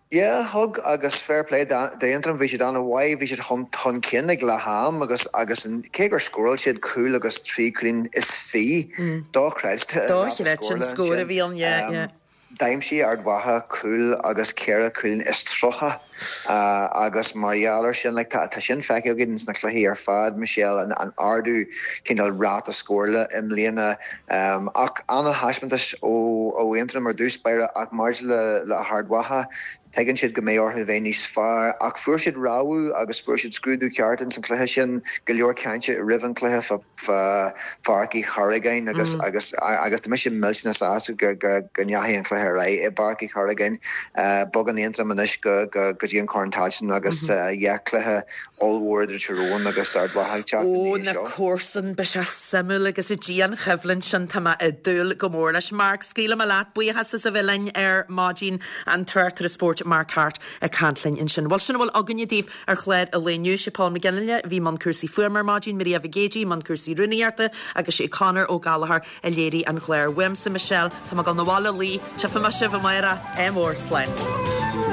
Yeah, thug agus fair play d'Aontroim, bhí siad an-mhaith, bhí siad chun chun cinn ag leath am agus agus cé gur scóráil siad cúl agus trí chúilín is fiche, dochreidte an ráta Dochreidte an scór a bhí ann, yeah, yeah. D'aimsigh Ard Mhacha cúl agus ceithre chúilín is 30 agus mar gheall ar sin, like, tá tá sin feicthe againn sna cluichí ar fad, Michelle, an an ardú cineál ráta scórála i mbliana. Ach an-thaispeántas ó Aontroim ar dtús báire ach maidir le hArd Mhacha, tuigeann siad go mbeidh orthu bheith níos fearr. Ach fuair siad rabhadh agus fuair siad scrúdú ceart ins an chluiche sin, go leor cainte roimh an chluiche fá Pháirc Uí Chorragáin agus agus agus tá mise millteanach sásta go go ndeachaigh an cluiche ar aghaidh i bPáirc Uí Chorragáin. Bogann Aontroim anois go go dtí an Corn Tailteann agus yeah cluiche ollmhór idir Tír Eoghain agus Ard Mhacha ag teacht ina Ó, dhiaidh na seo. comharsain, beidh sé suimiúil agus an dianchoimhlint sin, tá mé ag dúil go mór leis. Mark, scaoilfidh mé leat, buíochas as a bheith linn ar maidin, an tráchtaire spóirt Mark Harte ag caint linn ansin. Bhuel, sin a bhfuil againne daoibh ar chlár an lae inniu. Sé Paul McGinley a bhí i mbun cúrsaí fuaime ar maidin, Maria Mhic Géidigh i mbun cúrsaí rúnaíochta agus sé Conor Ó Gallchóir a léirigh an clár. Uaimse Michelle, tá mé ag dul 'na bhaile a luí, tchífidh mé sibh amárach, ádh mór, slán.